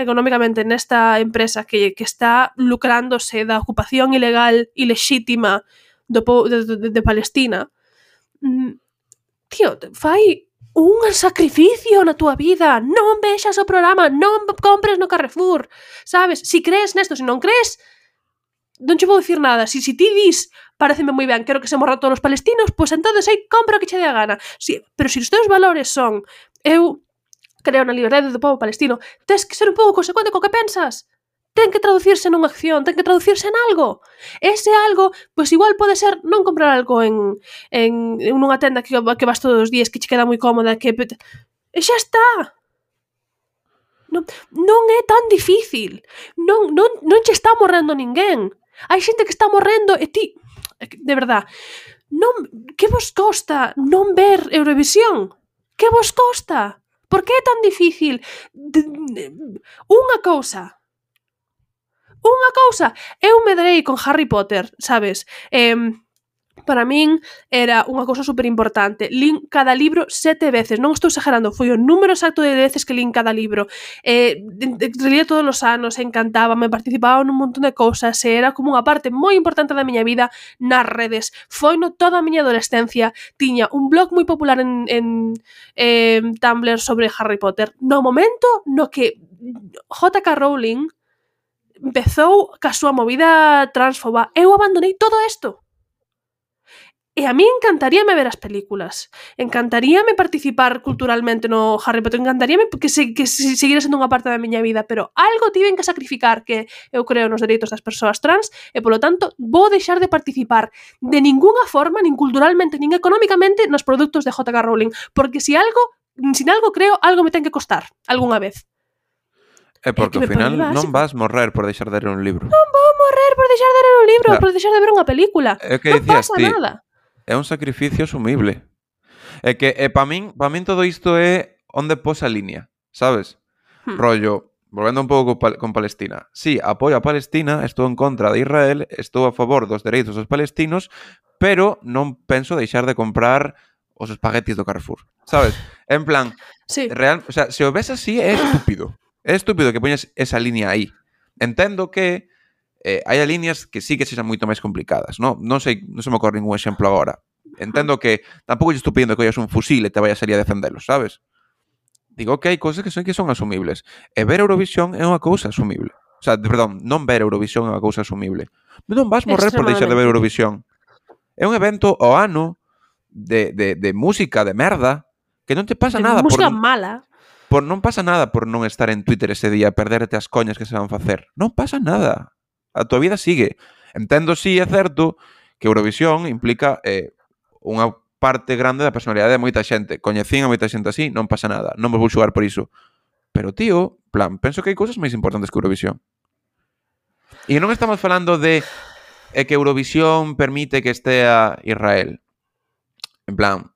económicamente, nesta empresa que, que está lucrándose da ocupación ilegal e lexítima do, de, de, de Palestina. Tío, fai un sacrificio na túa vida. Non vexas o programa, non compres no Carrefour, sabes? Si crees nesto, se non crees, non che vou dicir nada. Si, si ti dis, pareceme moi ben, quero que se morran todos os palestinos, pois entonces aí compra o que che dé a gana. Si, pero se si os teus valores son eu creo na liberdade do povo palestino, tes que ser un pouco consecuente co que pensas. Ten que traducirse nunha acción, ten que traducirse en algo. Ese algo, pois igual pode ser non comprar algo en, en, en unha tenda que, que vas todos os días, que che queda moi cómoda, que... E xa está. Non, non é tan difícil. Non, non, non che está morrendo ninguén. Hai xente que está morrendo e ti... De verdad, non, que vos costa non ver Eurovisión? Que vos costa? Por que é tan difícil? De, de, unha cousa. Unha cousa. Eu medrei con Harry Potter, sabes? Eh, para min era unha cousa super importante. Lín cada libro sete veces. Non estou exagerando. Foi o número exacto de veces que lín cada libro. Eh, relía todos os anos, encantaba, me participaba nun montón de cousas. Era como unha parte moi importante da miña vida nas redes. Foi no toda a miña adolescencia. Tiña un blog moi popular en, en eh, Tumblr sobre Harry Potter. No momento no que J K Rowling empezou ca súa movida transfoba, eu abandonei todo isto. E a mí encantaríame ver as películas. Encantaríame participar culturalmente no Harry Potter. Encantaríame que, se, que se, seguira sendo unha parte da miña vida, pero algo tiven que sacrificar, que eu creo nos dereitos das persoas trans, e polo tanto vou deixar de participar de ningunha forma, nin culturalmente, nin económicamente, nos produtos de J K Rowling. Porque si algo, sin algo creo, algo me ten que costar, algunha vez. É porque ao final non vas morrer por deixar de ler un libro. Non vou morrer por deixar de ler un libro, claro. Por deixar de ver unha película. É que non dicías pasa ti, nada. É un sacrificio asumible. É que é, pa min, pa min todo isto é onde pos a línea, sabes? Hmm. Rollo, volvendo un pouco con, con Palestina. Sí, apoio a Palestina, estou en contra de Israel, estou a favor dos dereitos dos palestinos, pero non penso deixar de comprar os espaguetis do Carrefour, sabes? En plan, sí. real, o sea, se o ves así é estúpido. É estúpido que poñas esa línea aí. Entendo que eh, hai líneas que sí que sexan moito máis complicadas, non? Non sei, non se me ocorre ningún exemplo agora. Entendo que tampouco lle estou pedindo que ollas un fusil e te vayas a salir a defendelos, sabes? Digo que hai cousas que son que son asumibles. E ver Eurovisión é unha cousa asumible. O sea, perdón, non ver Eurovisión é unha cousa asumible. Non vas morrer por deixar de ver Eurovisión. É un evento ao ano de, de, de música de merda que non te pasa de nada música por... mala. Por non pasa nada por non estar en Twitter ese día, perderte as coñas que se van facer. Non pasa nada. A tua vida sigue. Entendo, sí, é certo, que Eurovisión implica eh, unha parte grande da personalidade de moita xente. Coñecín a moita xente así, non pasa nada. Non me vou xugar por iso. Pero, tío, plan, penso que hai cousas máis importantes que Eurovisión. E non estamos falando de eh, que Eurovisión permite que estea Israel. En plan,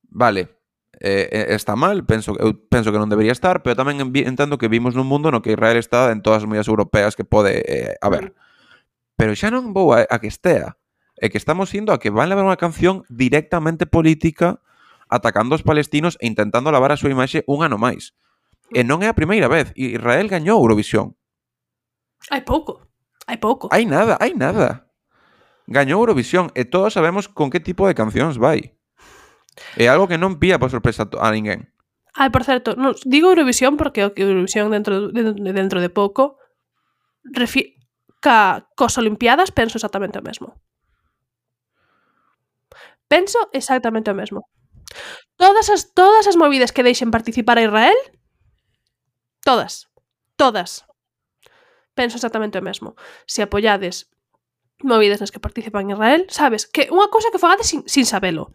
vale... Eh, está mal, penso, eu penso que non debería estar, pero tamén entendo que vimos nun mundo no que Israel está en todas as medidas europeas que pode eh, haber. Pero xa non vou a, a que estea. É que estamos indo a que van levar unha canción directamente política atacando aos palestinos e intentando lavar a súa imaxe un ano máis. E non é a primeira vez. Israel gañou Eurovisión. Hai pouco. Hai pouco. Hai nada, hai nada. Gañou Eurovisión e todos sabemos con que tipo de cancións vai. É algo que non pilla por sorpresa a ninguén. Ai, por certo, non, digo Eurovisión porque o que Eurovisión dentro de, dentro de pouco refi- ca, cos Olimpiadas penso exactamente o mesmo. Penso exactamente o mesmo. Todas as, todas as movidas que deixen participar a Israel, todas, todas, penso exactamente o mesmo. Se apoiades movidas nas que participan Israel, sabes, que unha cousa que fagades sin, sin sabelo.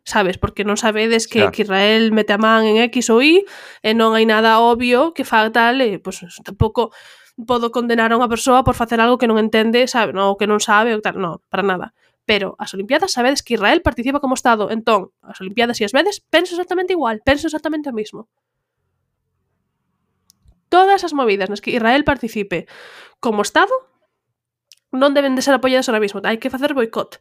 Sabes, porque non sabedes que, que Israel mete a man en X ou Y e non hai nada obvio que faga tal e pois, tampouco podo condenar a unha persoa por facer algo que non entende, sabe, non, que non sabe ou tal, non, para nada. Pero as Olimpiadas sabedes que Israel participa como Estado, entón, as Olimpiadas e as vedes penso exactamente igual, penso exactamente o mismo. Todas as movidas nas que Israel participe como Estado non deben de ser apoiadas ahora mismo, hai que facer boicot.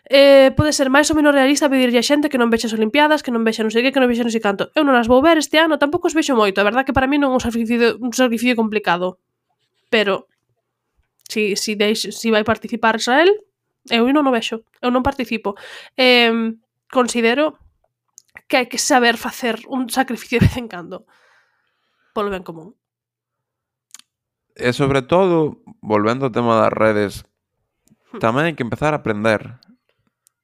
Eh, pode ser máis ou menos realista pedirlle a xente que non vexe as Olimpiadas, que non vexe non sei que, que non vexe non sei canto. Eu non as vou ver este ano, tampouco os vexo moito. A verdad que para mí non é un sacrificio, un sacrificio complicado. Pero si, si, deixe, si vai participar Israel, eu non o vexo. Eu non participo. Eh, considero que hai que saber facer un sacrificio de vez en cando. Polo ben común. E sobre todo, volvendo ao tema das redes, tamén hai que empezar a aprender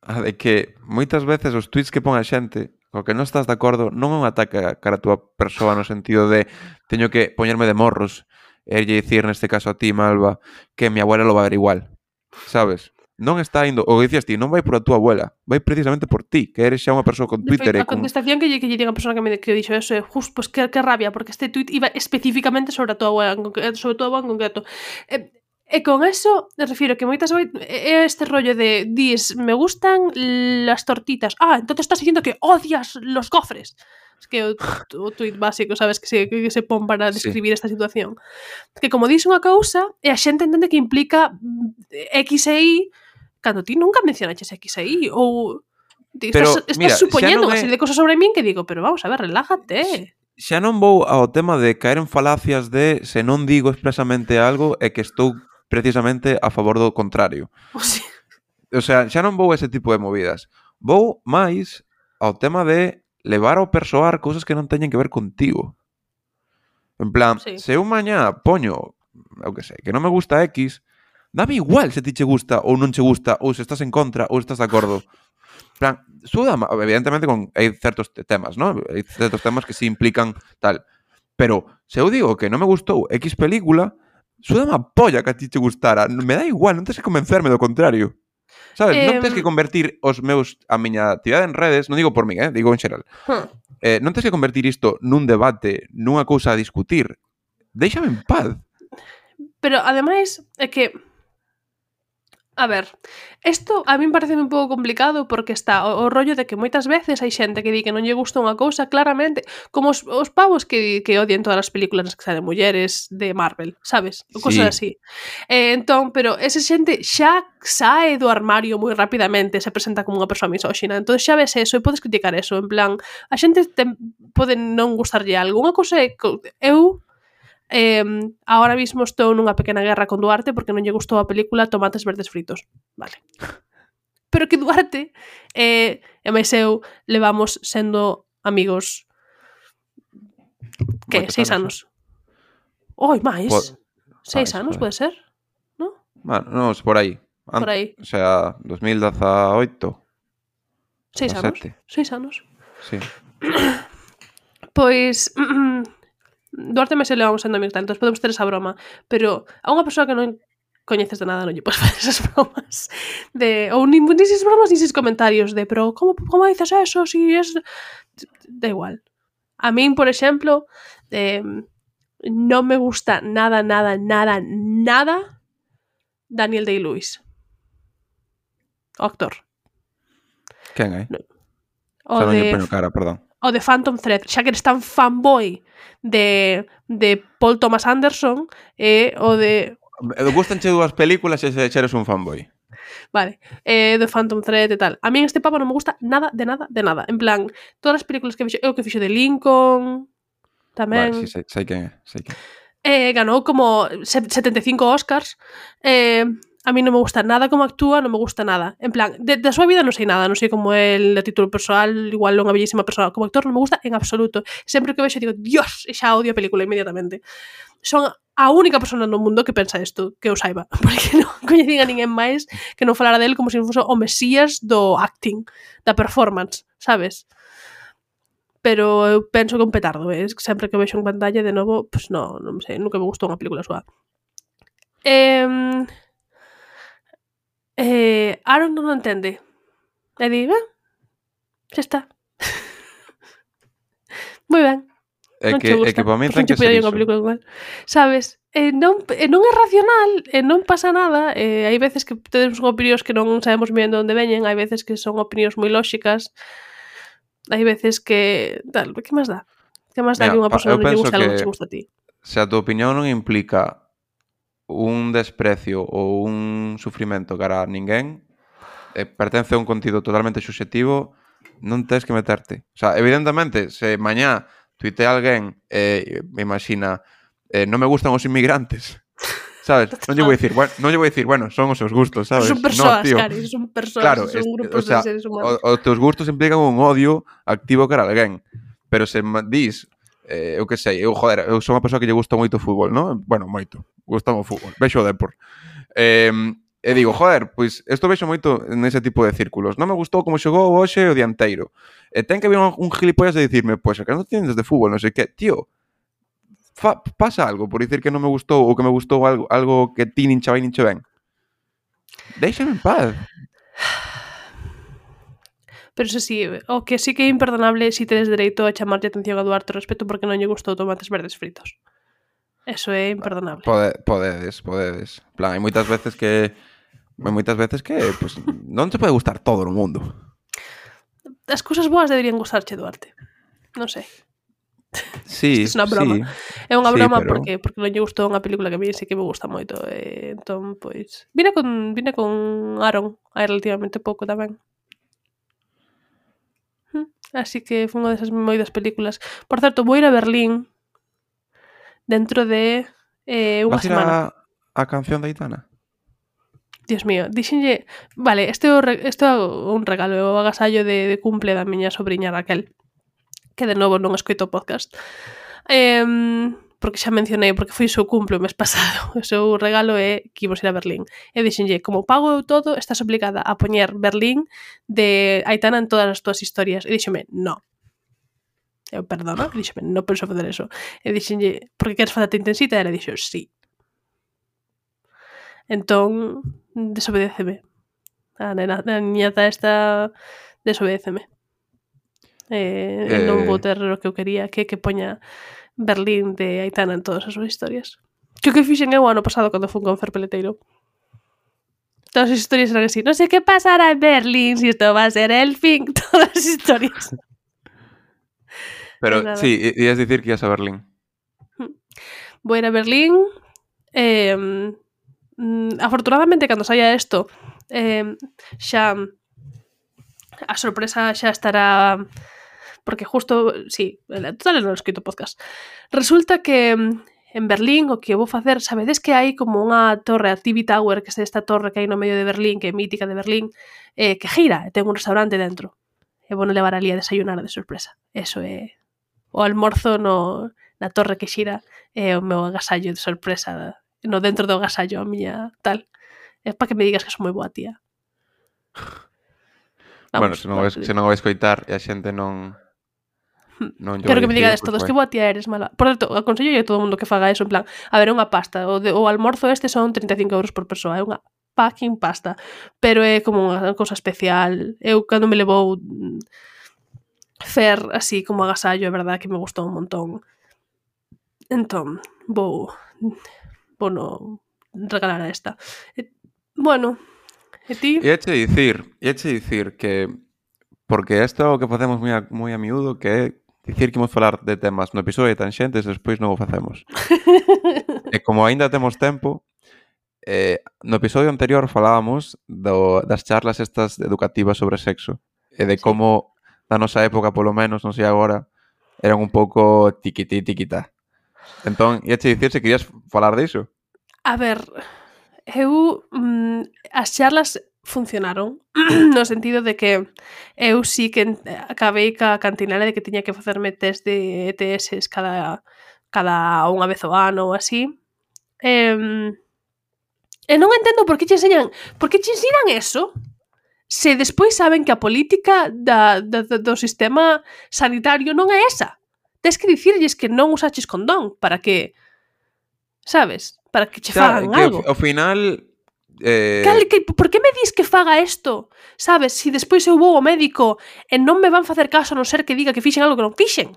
a de que moitas veces os tweets que pon a xente co que non estás de acordo non é un ataque cara a túa persoa no sentido de teño que poñerme de morros e lle dicir neste caso a ti, Malva, que mi abuela lo va a ver igual, sabes? Non está indo, o que dicías ti, non vai por a túa abuela, vai precisamente por ti, que eres xa unha persoa con De Twitter feito, e a con... contestación que lle, que lle diga a persona que me que dixo eso é justo, pues que, que rabia, porque este tuit iba especificamente sobre a tua abuela, en concre- sobre a tua abuela en concreto. E, e con eso, me refiro que moitas veces é este rollo de dis, me gustan las tortitas. Ah, entonces estás diciendo que odias los gofres. Es que o, o tuit básico, sabes, que se, que se pon para describir sí. esta situación. Que como dis unha cousa, e a xente entende que implica X e Y, cando ti nunca mencionaches X e Y, ou pero, estás, estás mira, supoñendo unha é... serie de cosas sobre min que digo, pero vamos a ver, relájate. Xa non vou ao tema de caer en falacias de se non digo expresamente algo é que estou precisamente a favor do contrario. O sea, o sea, xa non vou a ese tipo de movidas. Vou máis ao tema de levar ao persoar cousas que non teñen que ver contigo. En plan, sí. se eu mañá poño, eu que sei, que non me gusta X, dame igual se ti che gusta ou non che gusta, ou se estás en contra ou se estás de acordo. En plan, suda, evidentemente con hai certos temas, ¿no? Hai certos temas que sí implican tal. Pero se eu digo que non me gustou X película, suda má polla que a ti che gustara. Me dá igual, non tens que convencerme do contrario. Sabes? Eh... Non tens que convertir os meus a miña actividade en redes, non digo por mí, eh? Digo en xeral. Huh. Eh, non tens que convertir isto nun debate, nunha cousa a discutir. Déixame en paz. Pero, ademais, é que a ver, isto a min parece un pouco complicado porque está o, o rollo de que moitas veces hai xente que di que non lle gusta unha cousa claramente, como os, os pavos que, que odian todas as películas nas que salen mulleres de Marvel, sabes? O cosas sí. así. Eh, entón, pero esa xente xa sae do armario moi rapidamente, se presenta como unha persoa misóxina, entón xa ves eso e podes criticar eso, en plan, a xente te, pode non gustarlle algo. Unha cousa é eu Eh, ahora mismo estou nunha pequena guerra con Duarte porque non lle gustou a película Tomates Verdes Fritos. Vale. Pero que Duarte eh, e máis eu levamos sendo amigos que? Seis anos. Oi, máis? Po- Seis ah, anos, pode ser? ¿No? Bueno, non, por aí. Ant- por aí. O sea, dos mil dezaoito. Seis anos. Seis anos. Sí. Pois... Duarte me se levamos sendo amigos, entón podemos ter esa broma, pero a unha persoa que non coñeces de nada non lle podes facer esas bromas de, ou nin, nin esas bromas nin esas comentarios de, pero como, como dices eso si es... Da igual. A min, por exemplo, eh, non me gusta nada, nada, nada, nada Daniel Day-Lewis. O actor. Quen é? No. O de... cara, perdón. O de Phantom Thread, xa que eres tan fanboy de, de Paul Thomas Anderson e o de... Gustanche dúas películas e se eres un fanboy. Vale, eh, de Phantom Thread e tal. A mí este pavo non me gusta nada, de nada, de nada. En plan, todas as películas que fixo, eu que fixo de Lincoln, tamén... Vale, sí, sei, sei quen é, sei quen. Eh, ganou como setenta e cinco Oscars. Eh... A mí non me gusta nada como actúa, non me gusta nada. En plan, de, de a súa vida non sei nada, non sei como el de título persoal, igual unha bellísima persoa. Como actor non me gusta en absoluto. Sempre que vexo digo, Dios, e xa odio a película inmediatamente. Son a única persona no mundo que pensa isto, que eu saiba. Porque non coñecín a ninguén máis que non falara del como se fose o mesías do acting, da performance, sabes? Pero eu penso que un petardo, eh? Sempre que vexo en pantalla de novo, pues no, non sei, nunca me gustou unha película súa. Eh... Eh, Aaron non entende. E di, eh, xa está. Moi ben. É que, é que para mí ten que ser iso. Sabes? Eh, non, eh, non é racional, eh, non pasa nada. Eh, hai veces que temos opinións que non sabemos ben de onde veñen, hai veces que son opinións moi lóxicas, hai veces que... Tal, que máis dá? Que máis dá que unha persona non lle gusta algo que che gusta a ti? Se a tua opinión non implica un desprecio ou un sufrimento cara a ninguén, eh, pertence a un contido totalmente subjetivo, non tens que meterte. O sea, evidentemente, se mañá tuitea alguén e eh, me imagina eh, non me gustan os inmigrantes, sabes? Non lle vou dicir, bueno, non lle vou dicir, bueno, son os seus gustos, sabes? Son persoas, no, tío. Cari, son persoas, claro, son es, grupos o sea, de seres humanos. Os teus gustos implican un odio activo cara a alguén, pero se dis eh, eu que sei, eu, joder, eu sou unha persoa que lle gusta moito o fútbol, non? Bueno, moito, gusta o fútbol, vexo o Depor. Eh, e digo, joder, pois isto vexo moito nese tipo de círculos. Non me gustou como xogou hoxe o dianteiro. E ten que haber un, un gilipollas de dicirme, pois, pues, que non tienes de fútbol, non sei que, tío, fa, pasa algo por dicir que non me gustou ou que me gustou algo, algo que ti nin che vai nin che ben. Déixame en paz. Pero eso sí, o que sí que é imperdonable si tedes dereito a chamarlle atención a Duarte respeto porque non lle gustou tomates verdes fritos. Eso é imperdonable. Pode, podedes, podedes. En plan, hai moitas veces que hai moitas veces que pues, non te pode gustar todo no mundo. As cousas boas deberían gustarche, Duarte. Non sei. Sí, Isto é unha broma. Sí. É unha broma sí, pero... porque porque non lle gustou unha película que a mí sí que me gusta moito. E, entón, pois... Vine con, vine con Aaron hai relativamente pouco tamén. Así que foi unha desas moitas películas. Por certo, vou ir a Berlín dentro de eh, unha Vas ir semana. A, a canción de Aitana? Dios mío, dixenlle... Vale, este é un regalo, o agasallo de, de cumple da miña sobrinha Raquel, que de novo non escoito o podcast. Eh, porque xa mencionei, porque foi o seu cumple o mes pasado. O seu regalo é que imos ir a Berlín. E dixenlle, como pago eu todo, estás obligada a poñer Berlín de Aitana en todas as túas historias. E dixeme, no. Eu, perdona, e dixeme, non penso facer eso. E dixenlle, porque queres facerte intensita? E ela dixo, sí. Entón, desobedéceme. A nena, a niñata esta desobedéceme. Eh, eh... non vou ter o que eu quería, que que poña Berlín de Aitana en todas as súas historias. Que o que fixen eu ano pasado cando fun con Fer Peleteiro. Todas as historias eran así. Non sei que pasará en Berlín, si isto va a ser el fin. Todas as historias. Pero, sí, ias dicir que ias a Berlín. Vou ir a Berlín. Eh, afortunadamente, cando saia isto, eh, xa a sorpresa xa estará... Porque justo, sí, total non escrito podcast. Resulta que en Berlín o que vou facer, sabedes que hai como unha torre, a T V Tower, que é esta torre que hai no medio de Berlín, que é mítica de Berlín, eh, que gira, e ten un restaurante dentro. E vou levar ali a desayunar de sorpresa. Eso é o almorzo no, na torre que xira, é o meu agasallo de sorpresa, no dentro do agasallo a miña tal. É para que me digas que sou moi boa tía. Vamos, bueno, se non, vai, se non vai escoitar e a xente non... Non Quero que me digades todos, que boa tía eres, mala. Por certo, aconsello a todo o mundo que faga eso, en plan, a ver, é unha pasta, o, de, o almorzo este son trinta e cinco euros por persoa, é unha fucking pasta, pero é como unha cousa especial. Eu, cando me levou Fer, así como agasallo, é verdad que me gustou un montón. Entón, vou vou no regalar a esta. E, bueno, e ti? E eche dicir, e eche dicir que porque isto é o que facemos moi a, moi a miúdo, que é dicir que imos falar de temas no episodio de Tanxentes e despois non o facemos. E como aínda temos tempo, eh, no episodio anterior falábamos do, das charlas estas educativas sobre sexo e de como na nosa época, polo menos, non sei agora, eran un pouco tiquití tiquitá. Entón, iache dicir se querías falar diso. A ver, eu mm, as charlas funcionaron no sentido de que eu sí que acabei ca cantinela de que tiña que facerme test de E T S cada, cada unha vez ao ano ou así. E, e non entendo por que che enseñan, por que che ensinan eso se despois saben que a política da, da, do sistema sanitario non é esa. Tes que dicirlles que non usaches condón para que, sabes, para que che fagan que algo. Ao final... Eh... Cal, que, por que me dis que faga isto? Sabes, se si despois eu vou ao médico e non me van facer caso a non ser que diga que fixen algo que non fixen.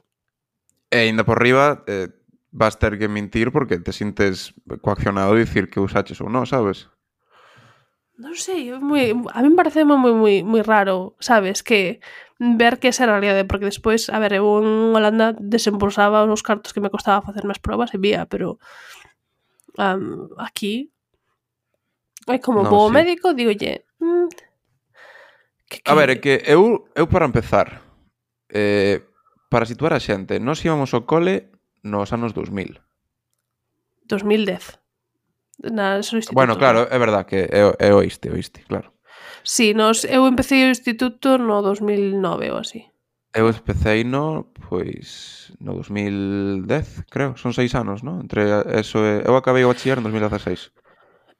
E ainda por riba eh, vas ter que mentir porque te sintes coaccionado a dicir que usaches ou non, sabes? Non sei, moi, a mí me parece moi, moi, moi, moi raro, sabes, que ver que esa era a realidade, porque despois, a ver, eu en Holanda desembolsaba os cartos que me costaba facerme as probas e vía, pero um, aquí é como no, vou ao sí. médico, digolle mm, que, que... A ver, é que eu, eu para empezar eh, para situar a xente, nós íbamos ao cole nos anos dos mil dos mil dez na instituto. Bueno, claro, é verdad que é, é oíste, oíste, claro. Sí, nos, eu empecé o instituto no dos mil nove ou así. Eu especei no, pois, no dos mil dez, creo. Son seis anos, non? Entre eso e... Eu acabei o bachiller en dos mil dezaseis.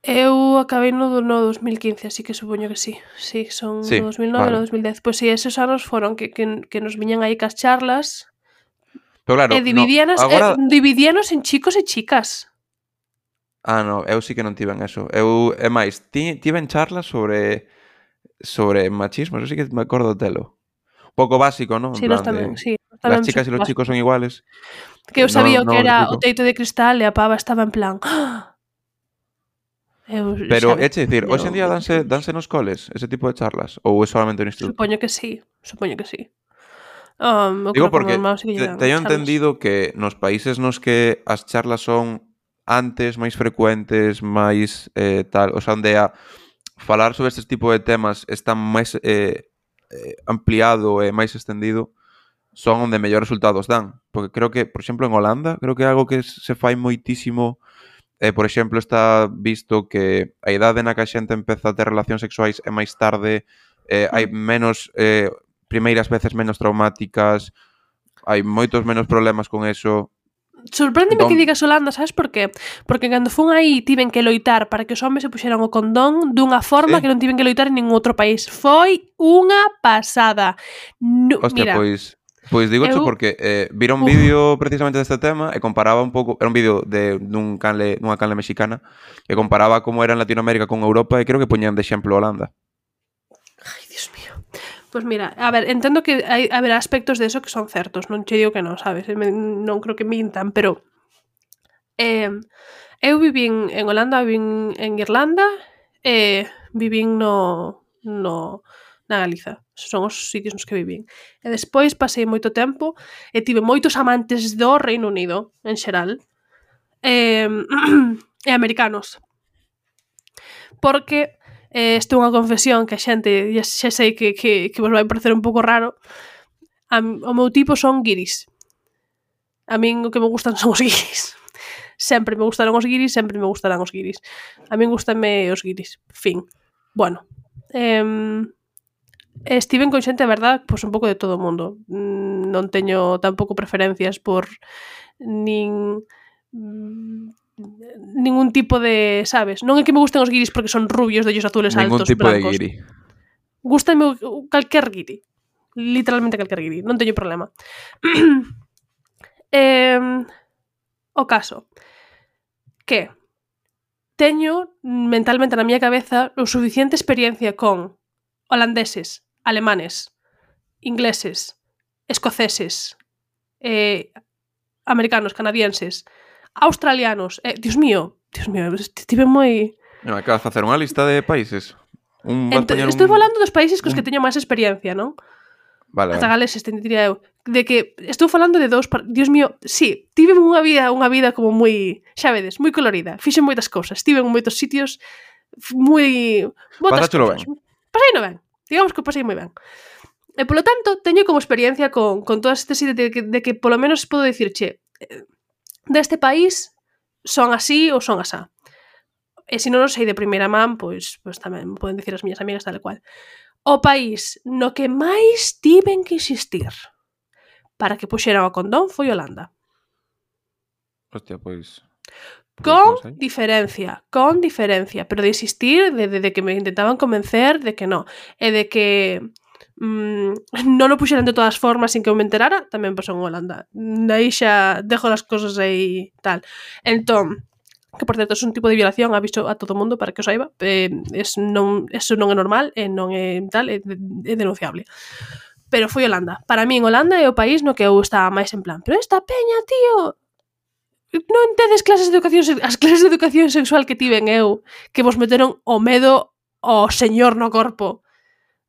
Eu acabei no, no dos mil quince, así que supoño que sí. Sí, son Sí, no dos mil nove e vale. no dos mil dez. Pois sí, esos anos foron que, que, que nos viñan aí cas charlas Pero claro, e no, dividíanos, agora... eh, dividíanos en chicos e chicas. Ah, no, eu sí que non tiven eso. Eu, é máis, ti, tiven charlas sobre sobre machismo, eso sí que me acordo telo. Un pouco básico, ¿no? En Sí, nós plan tamén, de sí. Nós las tamén chicas y los chicos son básico. iguales. Que eu No, sabía o que no lo era o típico. teito de cristal e a pava estaba en plan... "Ah". Eu Pero, xa é che dicir, teño hoxe en día veintiún danse, anos. danse nos coles ese tipo de charlas? Ou é solamente no instituto? Supoño que sí, supoño que sí. Um, eu Digo creo que o meu porque irmão sí que lle te, dan teño charlas. entendido que nos países nos que as charlas son antes, máis frecuentes, máis eh, tal, o sea, onde a falar sobre este tipo de temas está máis eh, eh, ampliado e máis extendido, son onde mellores resultados dan. Porque creo que, por exemplo, en Holanda, creo que é algo que se fai moitísimo. Eh, por exemplo, está visto que a idade na que a xente empeza a ter relacións sexuais é máis tarde, eh, hai menos, eh, primeiras veces menos traumáticas, hai moitos menos problemas con eso. Sorpréndeme que Entón, digas Holanda, sabes por qué? Porque cando fun aí tiven que loitar para que os homes se puxeran o condón dunha forma Sí. que non tiven que loitar en ningún outro país. Foi unha pasada. No, hostia, mira, pois pois digocho eu- porque eh, vira un Uf. vídeo precisamente deste tema e comparaba un pouco, era un vídeo de dun canle, dunha canle mexicana, e comparaba como era en Latinoamérica con Europa e creo que poñían de exemplo Holanda. Ai, Dios mío. Pues mira, a ver, entendo que hai haberá aspectos de eso que son certos, non che digo que non, sabes? Me, non creo que mintan, pero eh, eu vivín en Holanda, vivín en Irlanda e vivín no, no na Galiza. Esos son os sitios nos que vivín. E despois pasei moito tempo e tive moitos amantes do Reino Unido, en xeral, e, e americanos. Porque eh, isto é unha confesión que a xente, xa, xa sei que, que, que vos vai parecer un pouco raro, a, o meu tipo son guiris. A min o que me gustan son os guiris. Sempre me gustaron os guiris, sempre me gustarán os guiris. A min gustame os guiris. Fin. Bueno. Eh, estiven con xente, a verdad, pois un pouco de todo o mundo. Non teño tampouco preferencias por nin... ningún tipo de, sabes? Non é que me gusten os guiris porque son rubios, de ollos azules Ningún altos, tipo blancos. de guiri. Gústame calquer guiri. Literalmente calquer guiri. Non teño problema. eh, o caso que teño mentalmente na miña cabeza o suficiente experiencia con holandeses, alemanes, ingleses, escoceses, eh, americanos, canadienses, australianos, eh, Dios mío, Dios mío, estive moi... Non, acabas de facer unha lista de países. Un, vas Ent poñer estou un... falando dos países cos un... que teño máis experiencia, non? Vale, Ata vale. galeses, te diría eu. De que estou falando de dous... Dios mío, sí, tive unha vida unha vida como moi... Xa vedes, moi colorida. Fixen moitas cousas. Estive en moitos sitios moi... Moitas Pasáchelo cousas. Pasei no ben. Digamos que pasei moi ben. E polo tanto, teño como experiencia con, con todas estas ideas de que, de que polo menos podo dicir, che, deste país son así ou son asá. E se non o sei de primeira man, pois, pois tamén me poden dicir as miñas amigas tal e cual. O país no que máis tiven que insistir para que puxeran o condón foi Holanda. Hostia, pois... Con diferencia, con diferencia, pero de insistir, de, de, de que me intentaban convencer de que no, e de que mmm, non o puxeran de todas formas sin que eu me enterara, tamén pasou en Holanda. Daí xa dejo as cosas aí tal. Entón, que por certo é un tipo de violación, aviso a todo mundo para que o saiba, eh, es non, eso non é normal, e non é tal, é, é denunciable. Pero foi Holanda. Para min, Holanda é o país no que eu estaba máis en plan, pero esta peña, tío, non tedes clases de educación, as clases de educación sexual que tiven eu, que vos meteron o medo ao señor no corpo,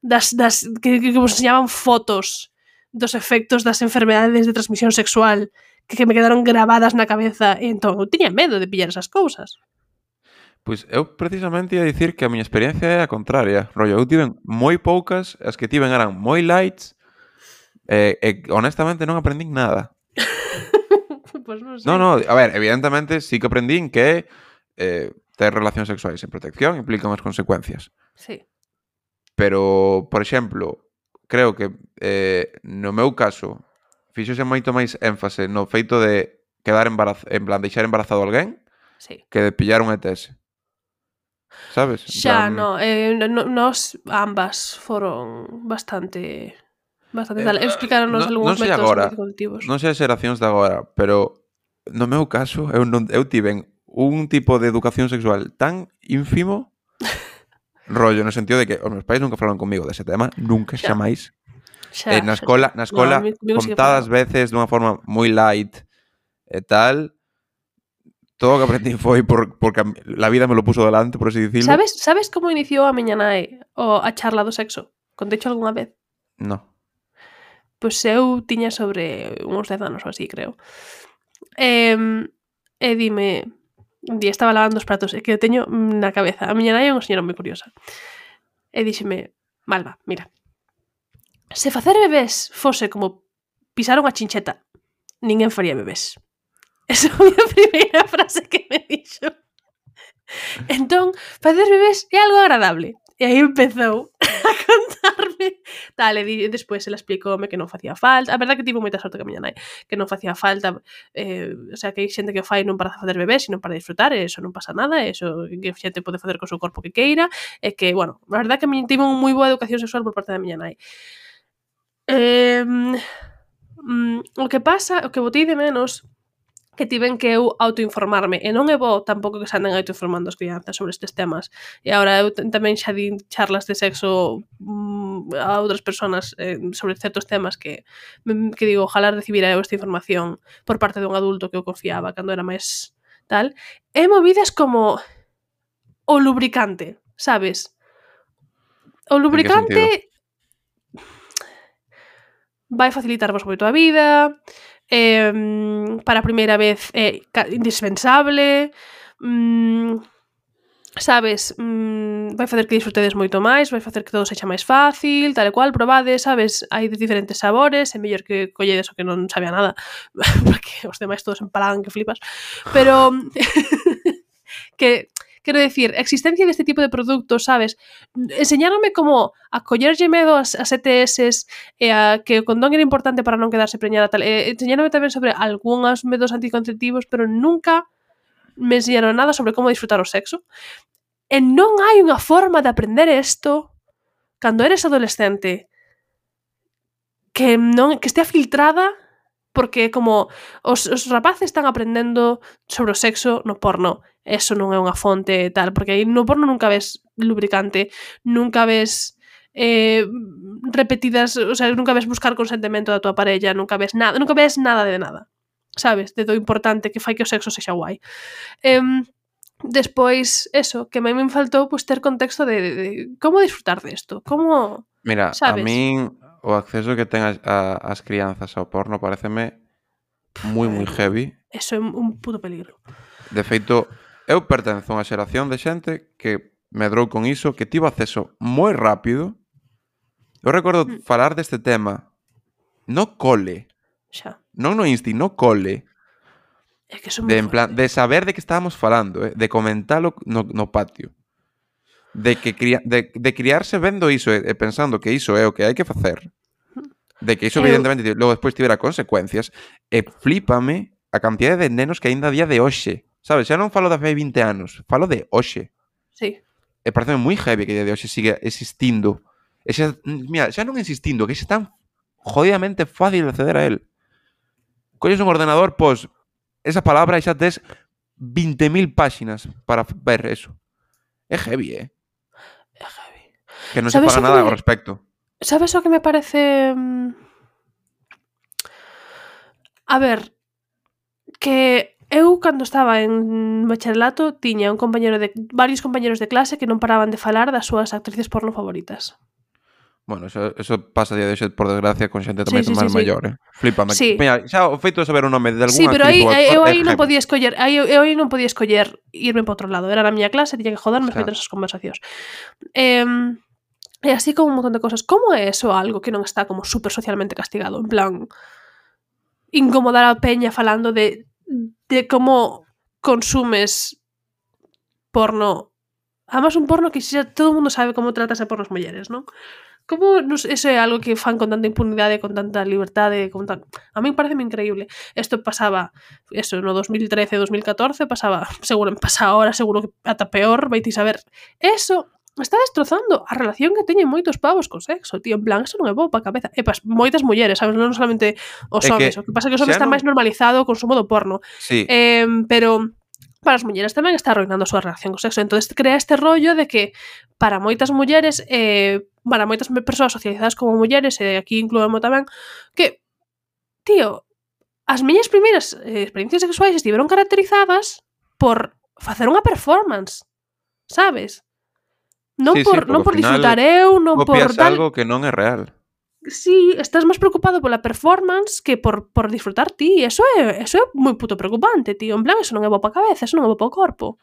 das, das, que, que vos enseñaban fotos dos efectos das enfermedades de transmisión sexual, que, que me quedaron grabadas na cabeza, e entón eu tiña medo de pillar esas cousas. Pois eu precisamente ia dicir que a miña experiencia é a contraria. Rollo, eu tiven moi poucas, as que tiven eran moi lights, e, e honestamente non aprendín nada. Pues non sei. No, no, a ver, evidentemente sí que aprendín que eh, ter relacións sexuais sen protección implica unhas consecuencias. Sí. Pero, por exemplo, creo que eh, no meu caso fíxose moito máis énfase no feito de quedar embarazado, en plan, deixar embarazado alguén Sí. que de pillar un E T S. Sabes? En Xa, plan, no, eh, no, nos ambas foron bastante bastante eh, tal. Explicaronnos non, algúns non sei métodos agora, anticonceptivos. non sei as xeracións de agora, pero no meu caso eu, non, eu tiven un tipo de educación sexual tan ínfimo rollo, no sentido de que os meus pais nunca falaron comigo dese tema, nunca, Xa. xamais. Xa, Eh, na xa, escola, xa. na No, escola mi- comigo sí que contadas falaron. veces dunha forma moi light e tal. Todo o que aprendí foi por, porque a, la vida me lo puso delante, por así dicirlo. Sabes, sabes como iniciou a miña nai o a charla do sexo? Contecho algunha vez? No. Pois eu tiña sobre uns dez anos ou así, creo. E, e dime, un día estaba lavando os pratos, e que eu teño na cabeza. A miña nai é unha señora moi curiosa. E díxeme, Malva, mira, se facer bebés fose como pisar unha chincheta, ninguén faría bebés. Esa foi a primeira frase que me dixo. Entón, facer bebés é algo agradable. E aí empezou a contarme tal, e di, despois ela explicoume que non facía falta. A verdade que tivo moita sorte que a miña nai, que non facía falta, eh, o sea, que hai xente que o fai non para facer bebés, sino para disfrutar, e eso non pasa nada, e eso que a xente pode facer co seu corpo que queira, e que, bueno, a verdade que a miña tivo unha moi boa educación sexual por parte da miña nai. Eh, mm, o que pasa, o que botei de menos que tiven que eu autoinformarme, e non é bo tampouco que se anden autoinformando as crianzas sobre estes temas. E agora eu tamén xa din charlas de sexo mm, a outras persoas eh, sobre certos temas que que digo, ojalá recibira eu esta información por parte dun adulto que eu confiaba cando era máis tal. E movidas como o lubricante, sabes? O lubricante vai facilitarvos moito a vida, eh, para a primeira vez é indispensable, mm, sabes, mm, vai facer que disfrutedes moito máis, vai facer que todo sexa máis fácil, tal e cual, probades, sabes, hai de diferentes sabores, é mellor que colledes o que non sabe a nada, porque os demais todos empalagan que flipas, pero que quero decir, a existencia deste tipo de produtos, sabes? Enseñáronme como a collerlle medo as, as E T S e a que o condón era importante para non quedarse preñada tal. E enseñáronme tamén sobre algúns métodos anticonceptivos, pero nunca me enseñaron nada sobre como disfrutar o sexo. E non hai unha forma de aprender isto cando eres adolescente que non que estea filtrada, porque como os, os rapaces están aprendendo sobre o sexo no porno, eso non é unha fonte tal, porque aí no porno nunca ves lubricante, nunca ves eh, repetidas, o sea, nunca ves buscar consentimento da tua parella, nunca ves nada, nunca ves nada de nada, sabes, de do importante que fai que o sexo sexa guai. Eh, despois, eso, que a mí me faltou pues, ter contexto de, de, de como disfrutar desto, como, Mira, sabes? a min o acceso que ten as, a, as crianzas ao porno pareceme moi, moi heavy. Eso é un puto peligro. De feito, eu pertenzo a unha xeración de xente que medrou con iso, que tivo acceso moi rápido. Eu recordo Mm. falar deste tema no cole, Xa. non no insti, no cole. É que son De, moi en plan, fuerte. de saber de que estábamos falando, eh? De comentalo no, no patio. De que cria, de, de criarse vendo iso e, e pensando que iso é o que hai que facer. De que iso, Eu- evidentemente, logo despois tivera consecuencias. E flípame a cantidade de nenos que aínda a día de hoxe. Sabes, xa non falo de fai vinte anos, falo de hoxe. Sí. E parece moi heavy que a día de hoxe siga existindo. E xa, mira, xa non existindo, que xa tan jodidamente fácil de acceder a él. Colles un ordenador, pos esa palabra e xa tes vinte mil páxinas para ver eso. É heavy, eh? É heavy. Que non se Sabes faga o que nada me- ao respecto. Sabes o que me parece... mm, A ver, que eu cando estaba en bacharelato tiña un compañero de varios compañeros de clase que non paraban de falar das súas actrices porno favoritas. Bueno, eso, eso pasa a día de hoxe, por desgracia, con xente tamén Sí, sí, máis sí, sí. maior, eh? Flipame. Sí. Mira, xa o feito de saber o nome de algún Sí, pero aí actriz ou aí- actor eu é aí non heavy. podía escoller, aí eu, eu aí non podía escoller irme para outro lado. Era na miña clase, tiña que joderme Xa. escoitar esas conversacións. Eh, e así como un montón de cosas. Como é eso algo que non está como super socialmente castigado? En plan, incomodar a peña falando de de como consumes porno. Además un porno que xa todo o mundo sabe como tratas a porno as mulleres, non? como no sé, eso é algo que fan con tanta impunidade, con tanta liberdade, con tan... A mí pareceme increíble. Isto pasaba, eso, no dos mil trece, dos mil catorce, pasaba, seguro, pasa ahora, seguro que ata peor, vai ti saber. Eso está destrozando a relación que teñen moitos pavos co sexo, tío, en plan, eso non é bo pa cabeza. E pas, moitas mulleres, sabes, non solamente os É homes, que o que pasa é que os homes xa está non... máis normalizado o consumo do porno. Sí. Eh, pero para as mulleres tamén está arruinando a súa relación co sexo. Entonces crea este rollo de que para moitas mulleres, eh, para moitas persoas socializadas como mulleres, e aquí incluímos tamén, que, tío, as miñas primeiras eh, experiencias sexuais estiveron caracterizadas por facer unha performance, sabes? Non Sí, sí, por, porque non ao por final disfrutar eu, non por copias tal... algo que non é real. Sí, estás máis preocupado pola performance que por, por disfrutar ti. Eso é, eso é moi puto preocupante, tío. En plan, eso non é bo pa cabeza, eso non é bo pa o corpo.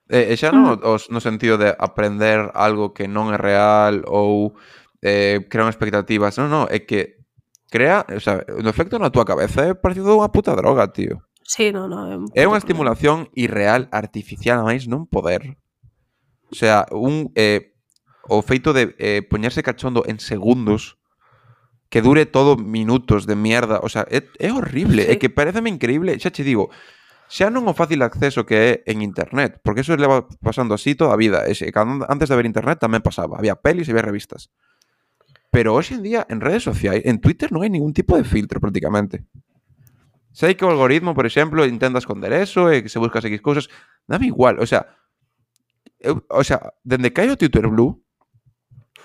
E, e xa non Mm. os, no sentido de aprender algo que non é real ou eh, crear expectativas. Non, non, é que crea, o sea, no efecto na túa cabeza é parecido unha puta droga, tío. Sí, no, no, é un É puto unha problema. estimulación irreal, artificial, a máis non poder. O sea, un eh, o feito de eh, poñerse cachondo en segundos que dure todo minutos de mierda, o sea, é, é horrible, Sí. é que pareceme increíble, xa che digo, xa non o fácil acceso que é en internet, porque eso leva pasando así toda a vida, e xe, cando, antes de haber internet tamén pasaba, había pelis e había revistas. Pero hoxe en día, en redes sociais, en Twitter non hai ningún tipo de filtro prácticamente. Sei que o algoritmo, por exemplo, intenta esconder eso e que se buscas X cousas, dame igual, o sea, eu, o sea, dende que hai o Twitter Blue,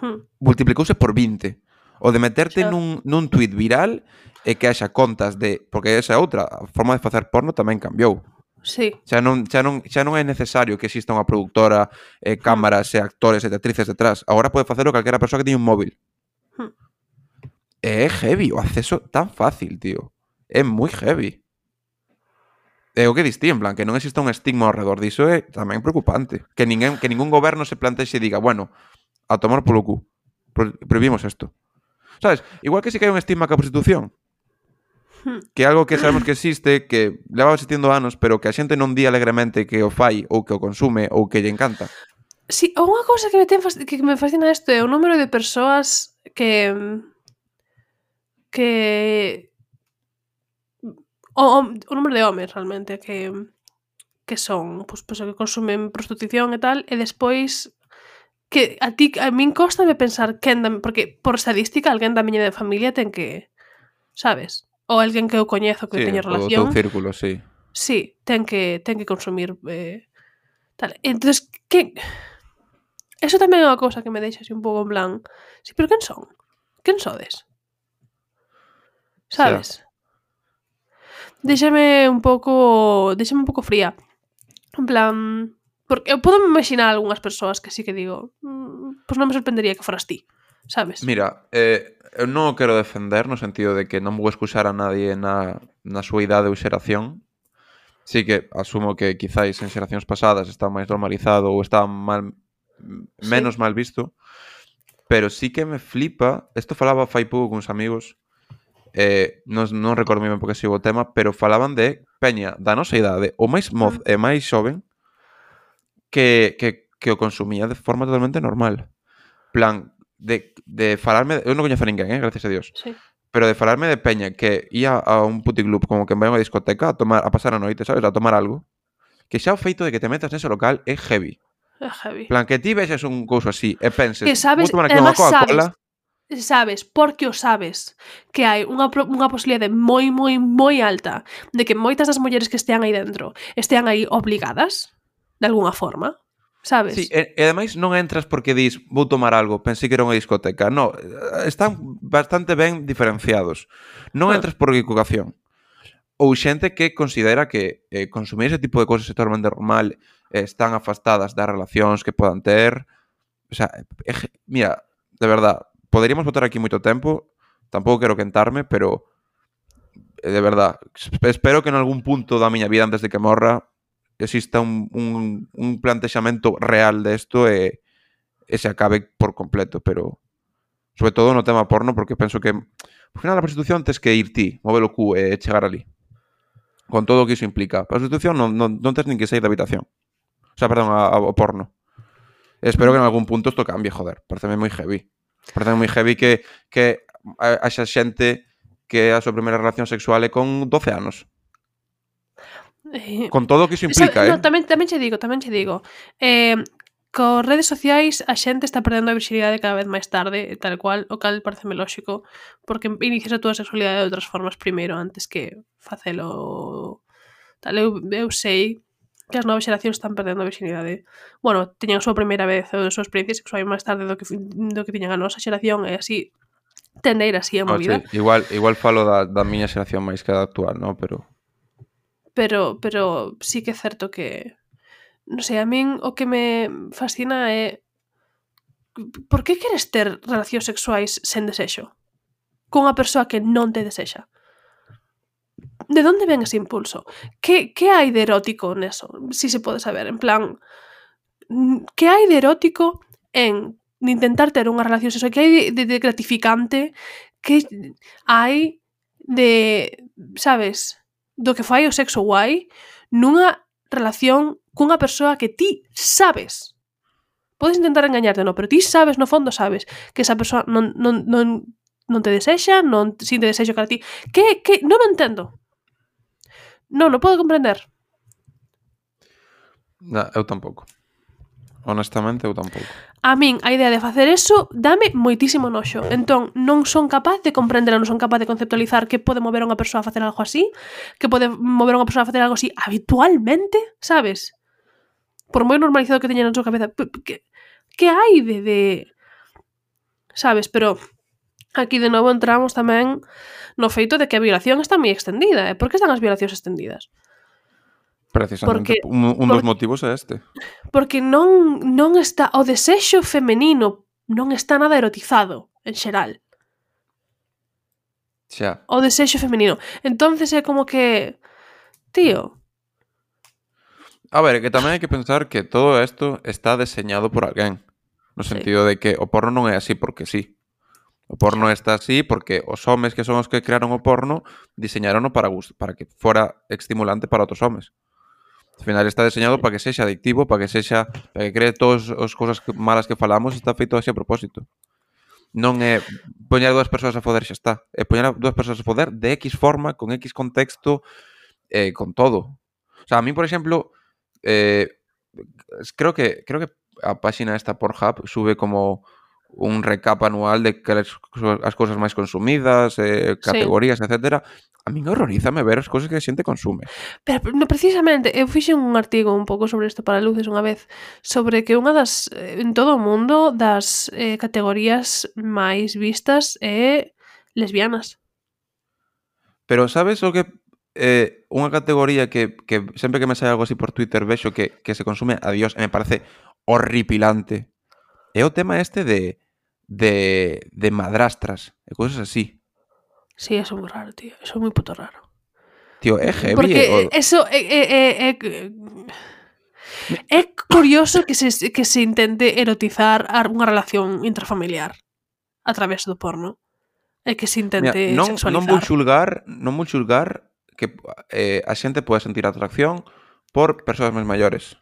Hmm. multiplicouse por vinte. O de meterte Xa. nun, nun tweet viral e que haxa contas de... Porque esa é outra, a forma de facer porno tamén cambiou. Sí. Xa non, xa non, xa non é necesario que exista unha productora, eh, cámaras e actores e actrices detrás. Agora pode facelo calquera persoa que teña un móvil. Hmm. E é heavy o acceso tan fácil, tío. É moi heavy. É o que distí, en plan, que non exista un estigma ao redor diso é tamén preocupante. Que ninguén, que ningún goberno se plantexe e diga, bueno, a tomar polo cu. Pro, prohibimos isto. Sabes? Igual que si que hai un estigma ca prostitución. Hmm. Que é algo que sabemos que existe, que leva existindo anos, pero que a xente non di alegremente que o fai ou que o consume ou que lle encanta. Sí, unha cousa que me, ten, que me fascina isto é o número de persoas que... que... O, o, o número de homes, realmente, que que son, pues, pues, que consumen prostitución e tal, e despois que a ti, a min cóstame pensar quen da, porque por estadística alguén da miña de familia ten que, sabes? Ou alguén que eu coñezo que Sí, teña o do relación. teu círculo, sí. Sí, ten que ten que consumir eh, tal. Entonces, que eso tamén é unha cousa que me deixa así un pouco en plan, sí, pero quen son? Quen sodes? Sabes? Déxame un pouco, déxame un pouco fría. En plan, porque eu podo imaginar algunhas persoas que sí que digo, mmm, pois pues non me sorprendería que foras ti, sabes? Mira, eh, eu non o quero defender no sentido de que non vou excusar a nadie na, na súa idade ou xeración. Sí que asumo que quizáis en xeracións pasadas está máis normalizado ou está mal, menos sí. mal visto, pero sí que me flipa, isto falaba fai pouco con uns amigos, eh, non, non recordo moi ben porque sigo o tema, pero falaban de peña da nosa idade, o máis moz e máis xoven, que, que, que o consumía de forma totalmente normal. Plan, de, de falarme... De, eu non coñezo a ninguén, eh, gracias a Dios. Sí. Pero de falarme de peña que ia a un puticlub como que vai a unha discoteca a, tomar, a pasar a noite, sabes? A tomar algo. Que xa o feito de que te metas nese local é heavy. É heavy. Plan, que ti vexes un couso así e penses, que sabes, vou tomar aquí unha Coca-Cola... Sabes, porque o sabes que hai unha, unha posibilidade moi, moi, moi alta de que moitas das mulleres que estean aí dentro estean aí obligadas de alguna forma, sabes? Sí, e, e ademais non entras porque dis vou tomar algo, pensei que era unha discoteca. No, están bastante ben diferenciados. Non ah. entras por equivocación. Ou xente que considera que eh, consumir ese tipo de cosas é totalmente normal, eh, están afastadas das relacións que podan ter. O sea, eh, mira, de verdad, poderíamos botar aquí moito tempo, tampouco quero quentarme, pero de verdad, espero que en algún punto da miña vida antes de que morra exista un, un, un plantexamento real desto e, e se acabe por completo, pero sobre todo no tema porno, porque penso que ao final a prostitución tes que ir ti, mover o cu e chegar ali con todo o que iso implica. A prostitución non, non, non tes nin que sair da habitación, o sea, perdón, ao porno. Espero que en algún punto isto cambie, joder, pareceme moi heavy. Parece moi heavy que, que haxa xente que a súa primeira relación sexual é con doce anos. Eh, Con todo o que iso implica, sabe, eh? no, tamén, tamén che digo, tamén che digo. Eh, co redes sociais a xente está perdendo a virxilidade cada vez máis tarde, tal cual, o cal pareceme lóxico, porque inicias a túa sexualidade de outras formas primeiro, antes que facelo tal. Eu, eu sei que as novas xeracións están perdendo a virxilidade. Bueno, tiñan a súa primeira vez ou a súa experiencia sexual máis tarde do que, do que tiñan a nosa xeración, e así tender así a No, movida. sí, igual, igual falo da, da miña xeración máis que da actual, no? Pero... Pero, pero sí que é certo que, non sei, a min o que me fascina é por que queres ter relacións sexuais sen desexo? Cunha persoa que non te desexa? De onde ven ese impulso? Que, que hai de erótico neso? Si se pode saber, en plan, que hai de erótico en intentar ter unha relación sexual? Que hai de, de, de gratificante? Que hai de, sabes, do que fai o sexo guai nunha relación cunha persoa que ti sabes? Podes intentar engañarte, no, pero ti sabes, no fondo sabes que esa persoa non, non, non, non te desexa, non sinte desexo cara a ti. Que, que, non o entendo. Non, non podo comprender. No, eu tampouco. Honestamente, eu tampouco. A min, a idea de facer eso dame moitísimo noxo. Entón, non son capaz de comprender, non son capaz de conceptualizar que pode mover a unha persoa a facer algo así, que pode mover a unha persoa a facer algo así habitualmente, sabes? Por moi normalizado que teña na súa cabeza. Que, que hai de, de... Sabes, pero aquí de novo entramos tamén no feito de que a violación está moi extendida. E por que están as violacións extendidas? Precisamente, Porque, un, un dos por, motivos é este. Porque non, non está... O desexo femenino non está nada erotizado, en xeral. Xa. O desexo femenino. Entonces é como que... Tío... A ver, que tamén hai que pensar que todo isto está deseñado por alguén. No sentido sí. de que o porno non é así porque sí. O porno está así porque os homes que son os que crearon o porno diseñarono para, para que fora estimulante para outros homes. Al final está deseñado para que sexa adictivo, para que sexa, para que cree todas as cousas malas que falamos, está feito así a propósito. Non é poñer dúas persoas a foder, xa está. É poñer dúas persoas a foder de X forma, con X contexto, eh, con todo. O sea, a mí, por exemplo, eh, creo que creo que a páxina esta Pornhub sube como un recap anual de que as, as cousas máis consumidas, eh, categorías, sí. etcétera. A min horrorízame ver as cousas que a xente consume. Pero, no, precisamente, eu fixen un artigo un pouco sobre isto para Luces unha vez, sobre que unha das, en todo o mundo, das eh, categorías máis vistas é lesbianas. Pero sabes o que... Eh, unha categoría que, que sempre que me sai algo así por Twitter vexo que, que se consume a Dios e me parece horripilante. É o tema este de, de, de madrastras e cousas así. Sí, eso é moi raro, tío. Eso é moi puto raro. Tío, é heavy. Porque o... eso é... é, é, é... É curioso que se, que se intente erotizar unha relación intrafamiliar a través do porno. É que se intente Mira, non, sexualizar. Non vou xulgar, non vou xulgar que eh, a xente pode sentir atracción por persoas máis maiores.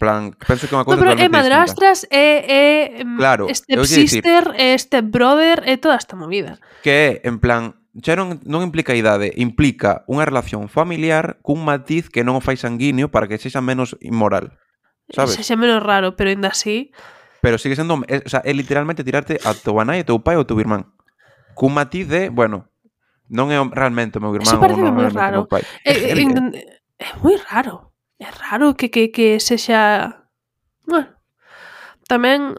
Plan, penso que é unha cousa no, pero totalmente é madrastras, é, é claro, stepsister, é stepbrother, é toda esta movida. Que é, en plan, xa non, non implica idade, implica unha relación familiar cun matiz que non o fai sanguíneo para que sexa menos inmoral, sabes? Sexa menos raro, pero ainda así... Pero sigue sendo, é, o sea, é literalmente tirarte a teu nai, a teu pai ou a teu irmán. Cun matiz de, bueno, non é realmente o meu irmán ou non é realmente o meu pai. É, é, é, é moi raro. É raro que, que, que sexa... Bueno, tamén...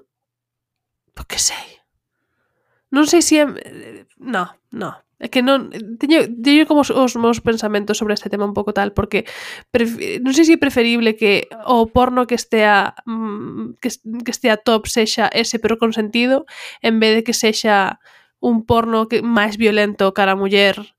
Por que sei? Non sei se é... No, no. É que non... Teño, teño como os, os meus pensamentos sobre este tema un pouco tal, porque pref, non sei se é preferible que o porno que estea que, que estea top sexa ese pero consentido, en vez de que sexa un porno que máis violento cara a muller,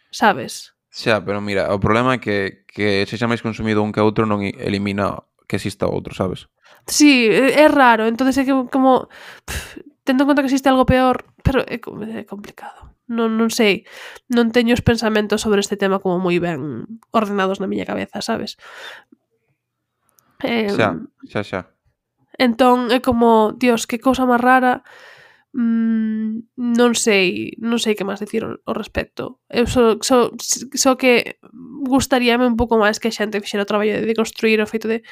sabes? Xa, pero mira, o problema é que, que sexa máis consumido un que outro non elimina que exista outro, sabes? Sí, é raro, entonces é que como pff, tendo en conta que existe algo peor, pero é, é complicado. Non, non sei, non teño os pensamentos sobre este tema como moi ben ordenados na miña cabeza, sabes? Eh, xa, xa, xa. Entón é como, Dios, que cousa máis rara. Mm, non sei, non sei que máis dicir ao, ao respecto. Eu só, só, só que gustaríame un pouco máis que a xente fixera o traballo de construir o feito de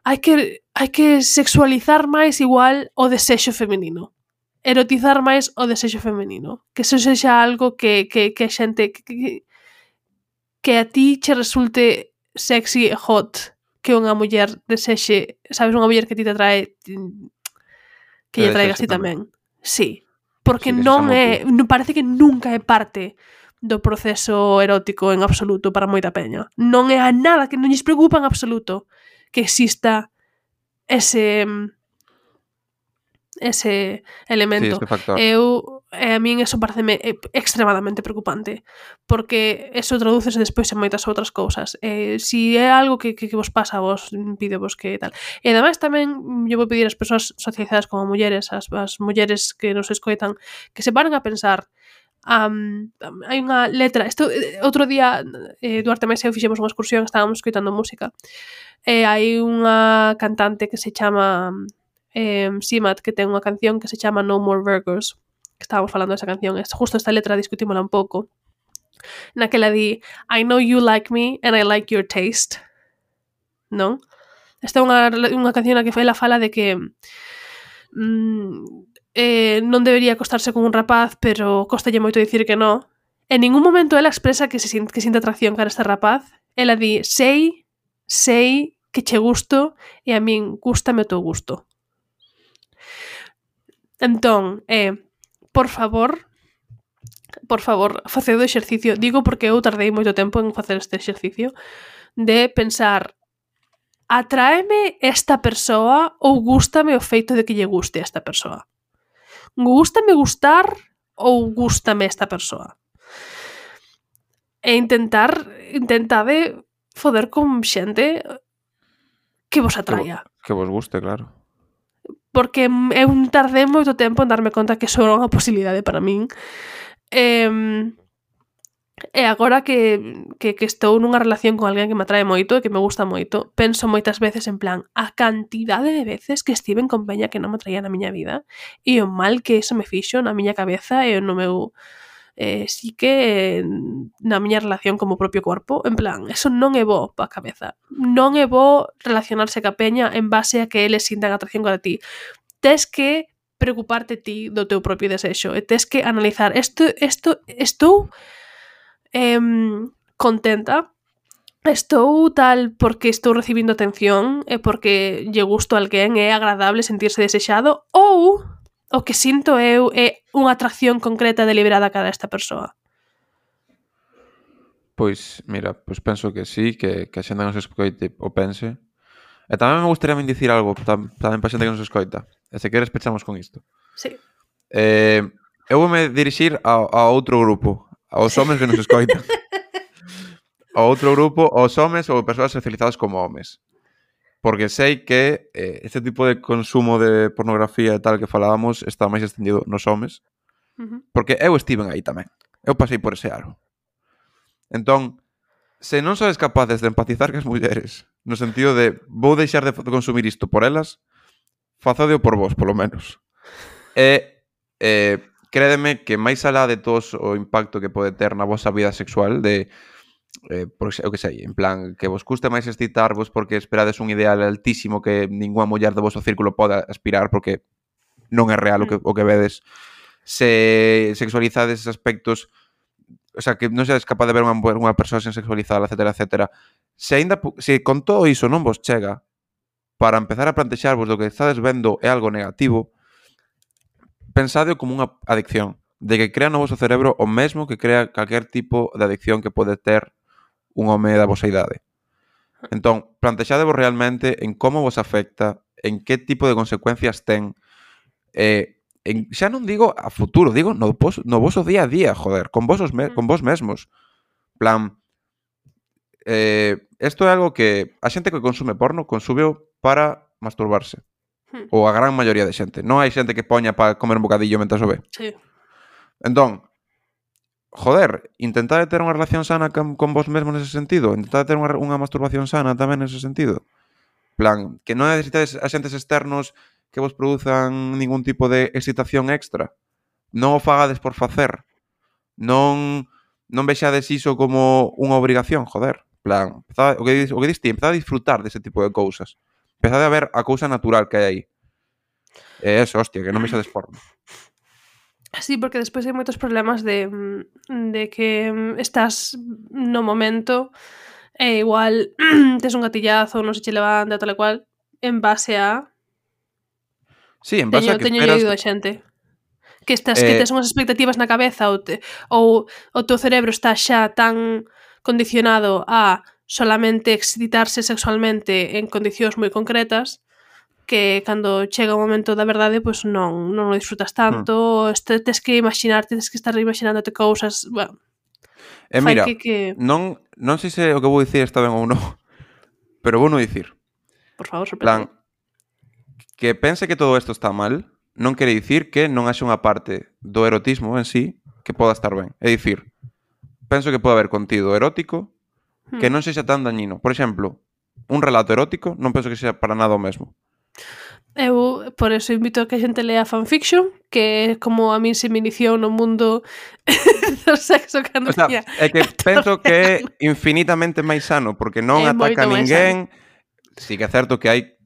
hai que hai que sexualizar máis igual o desexo feminino. Erotizar máis o desexo feminino. Que eso sexa algo que, que, que a xente que, que, que a ti che resulte sexy e hot, que unha muller desexe, sabes, unha muller que ti te atrae que lle traigas ti tamén. Sí, porque Sí, non é, non parece que nunca é parte do proceso erótico en absoluto para moita peña. Non é a nada, que non lles preocupa en absoluto que exista ese ese elemento. Sí, ese factor. Eu, e a min eso pareceme extremadamente preocupante, porque eso tradúcese despois en moitas outras cousas. Eh, si é algo que, que, que vos pasa a vos, pido vos que tal. E ademais tamén eu vou pedir ás persoas socializadas como mulleres, as, as mulleres que nos escoitan, que se paren a pensar. Um, hai unha letra, isto, outro día eh, Duarte Mesa e eu fixemos unha excursión, estábamos escoitando música, e hai unha cantante que se chama eh, Simat, que ten unha canción que se chama No More Virgos, que estábamos falando desa canción, es justo esta letra discutímola un pouco, naquela di I know you like me and I like your taste, non? Esta é unha, unha canción na que ela fala de que mm, eh, non debería acostarse con un rapaz, pero costalle moito dicir que non. En ningún momento ela expresa que se que sinte atracción cara a este rapaz. Ela di, sei, sei que che gusto e a min gústame o teu gusto. Entón, eh, por favor, por favor, faced o exercicio, digo porque eu tardei moito tempo en facer este exercicio, de pensar, atraeme esta persoa ou gústame o feito de que lle guste esta persoa? Gústame gustar ou gústame esta persoa? E intentar, intentade foder con xente que vos atraia. Que vos guste, claro. Porque eu tardei moito tempo en darme conta que eso era unha posibilidade para min. E, e agora que, que, que estou nunha relación con alguén que me atrae moito e que me gusta moito, penso moitas veces en plan a cantidade de veces que estiven con peña que non me atraía na miña vida e o mal que eso me fixo na miña cabeza e no meu eh, sí que na miña relación como propio corpo, en plan, eso non é bo pa cabeza. Non é bo relacionarse ca peña en base a que eles sintan atracción cara ti. Tes que preocuparte ti do teu propio desexo e tes que analizar isto, isto, estou eh, contenta, estou tal porque estou recibindo atención e porque lle gusto a alguén, é agradable sentirse desexado, ou o que sinto eu é unha atracción concreta deliberada cara a esta persoa. Pois, mira, pois penso que sí, que, que a xente nos escoite o pense. E tamén me gustaría me dicir algo tam, tamén para a xente que nos escoita. E se queres pechamos con isto. Sí. Eh, eu vou me dirixir a, a outro grupo, aos homes que nos escoitan. A outro grupo, aos homes ou persoas socializadas como homes. Porque sei que eh, este tipo de consumo de pornografía e tal que falábamos está máis extendido nos homes. Uh-huh. Porque eu estiven aí tamén. Eu pasei por ese aro. Entón, se non sodes capaces de empatizar cas mulleres, no sentido de vou deixar de consumir isto por elas, fazodeo por vos, polo menos. E eh, crédeme que máis alá de todos o impacto que pode ter na vosa vida sexual, de eh, por, eu que sei, en plan, que vos custe máis excitarvos porque esperades un ideal altísimo que ninguna muller do voso círculo poda aspirar porque non é real o que, o que vedes. Se sexualizades aspectos, o sea, que non sedes capaz de ver unha, unha persoa sen sexualizar, etcétera, etcétera. Se ainda, se con todo iso non vos chega para empezar a plantexarvos do que estades vendo é algo negativo, pensadeo como unha adicción, de que crea no voso cerebro o mesmo que crea calquer tipo de adicción que pode ter un home da vosa idade. Entón, plantexadevos realmente en como vos afecta, en que tipo de consecuencias ten, eh, en, xa non digo a futuro, digo no, vos, no voso día a día, joder, con, vosos me, con vos mesmos. Plan, eh, isto é algo que a xente que consume porno consúmeo para masturbarse. Hmm. Ou a gran maioría de xente. Non hai xente que poña para comer un bocadillo mentre o ve. Sí. Entón, joder, intentad ter unha relación sana con, con vos mesmo nese sentido, intentad ter unha, unha masturbación sana tamén nese sentido. Plan, que non necesitades axentes externos que vos produzan ningún tipo de excitación extra. Non o fagades por facer. Non non vexades iso como unha obrigación, joder. Plan, empezade, o que dis, o que dis ti, empezade a disfrutar dese tipo de cousas. Empezade a ver a cousa natural que hai aí. E eso, hostia, que non vexades porno. Sí, porque despois hai moitos problemas de, de que estás no momento e igual tes un gatillazo, non se che levanta, tal e cual, en base a... Sí, en base teño, a que teño esperas... oído a xente. Que estás, Eh, que tes unhas expectativas na cabeza ou, te, ou o teu cerebro está xa tan condicionado a solamente excitarse sexualmente en condicións moi concretas que cando chega o momento da verdade pois non, non o disfrutas tanto, hmm. este, tes que imaginarte, tes que estar imaginándote cousas, bueno, e mira, que, que... non, non sei se o que vou dicir está ben ou non, pero vou non dicir. Por favor, sorprende. Plan, que pense que todo isto está mal non quere dicir que non haxe unha parte do erotismo en sí que poda estar ben. É dicir, penso que pode haber contido erótico que non sexa tan dañino. Por exemplo, un relato erótico non penso que sexa para nada o mesmo. Eu, por eso, invito a que a xente lea fanfiction, que é como a min se me iniciou no mundo do sexo cando o sea, tiña é que penso que é infinitamente máis sano, porque non é ataca a ninguén. Sí que é certo que hai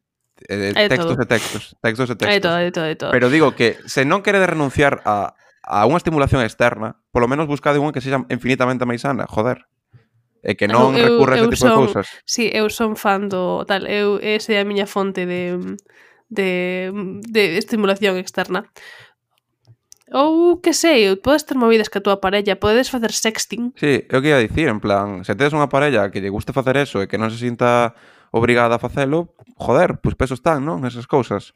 eh, textos todo. e textos, textos e textos. Hai todo, hai todo, hai todo. Pero digo que se non queredes renunciar a, a unha estimulación externa, polo menos buscade unha que sexa infinitamente máis sana, joder. E que non eu, recurra a ese eu tipo son, de cousas. Sí, eu son fan do tal, eu ese é a miña fonte de de, de estimulación externa. Ou, que sei, podes ter movidas que a túa parella, podedes facer sexting. Sí, é o que ia dicir, en plan, se tedes unha parella que lle guste facer eso e que non se sinta obrigada a facelo, joder, pois peso están, non? Esas cousas.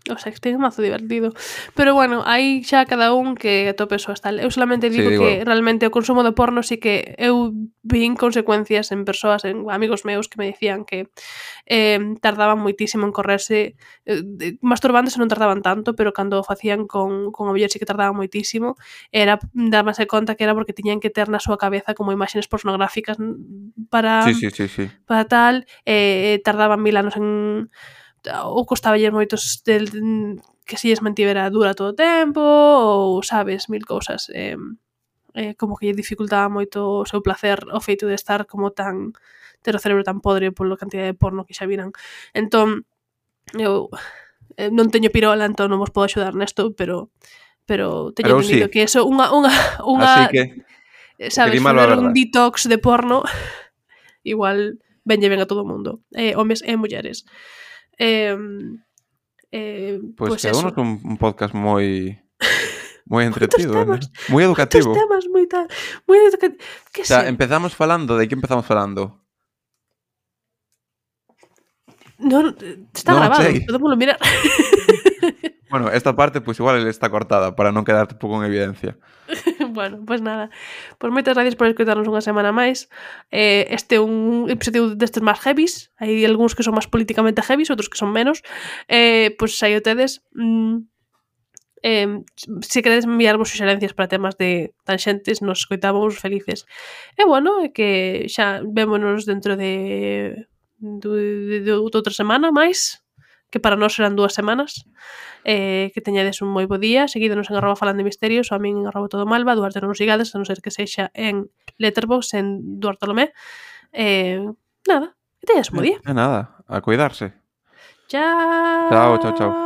O sexting é mazo divertido. Pero bueno, aí xa cada un que atope súas tal. Eu solamente digo, sí, digo que realmente o consumo de porno sí que eu vin consecuencias en persoas, en amigos meus que me dicían que eh, tardaban moitísimo en correrse, eh, masturbándose non tardaban tanto, pero cando o facían con, con o mellor sí que tardaban moitísimo, era darmase conta que era porque tiñan que ter na súa cabeza como imaxes pornográficas para, sí, sí, sí, sí. para tal, eh, tardaban mil anos en... ou costaballes moitos del, que si lles mantivera dura todo o tempo, ou sabes, mil cousas. Eh, eh, como que lle dificultaba moito o seu placer o feito de estar como tan ter o cerebro tan podre pola cantidad de porno que xa viran. Entón, eu eh, non teño pirola, entón non vos podo axudar nesto, pero pero teño pero entendido sí. que eso unha unha unha que, sabes, fazer un detox de porno igual venlle ben a todo o mundo, eh, homes e mulleres. Eh, eh, pues, pues eso. quedou un, un podcast moi moi entretido, ¿no? Moi educativo. Moitos temas, moi tal, moi educativo. O sea, sé? empezamos falando, de que empezamos falando? Non, está no, grabado, podémoslo mirar. Bueno, esta parte pues igual está cortada para non quedar tampouco en evidencia. Bueno, pois pues nada. Pois pues moitas gracias por escutarnos unha semana máis. Eh, este é un episodio destes máis heavies. Hai algúns que son máis políticamente heavies, outros que son menos. Eh, pois pues, aí o tedes. Mm, eh, se queredes enviarvos suxerencias para temas de tanxentes, nos escoitamos felices. E bueno, é que xa vémonos dentro de de, de, de outra semana máis, que para nós serán dúas semanas. Eh, que teñades un moi bo día, seguídonos en arroba falando de misterios, ou a min en arroba todo malva, Duarte non nos sigades, a non ser que sexa en Letterboxd, en Duartolomé. Eh, nada, que teñades un bo día. É nada, a cuidarse. Chao. Chao, chao, chao.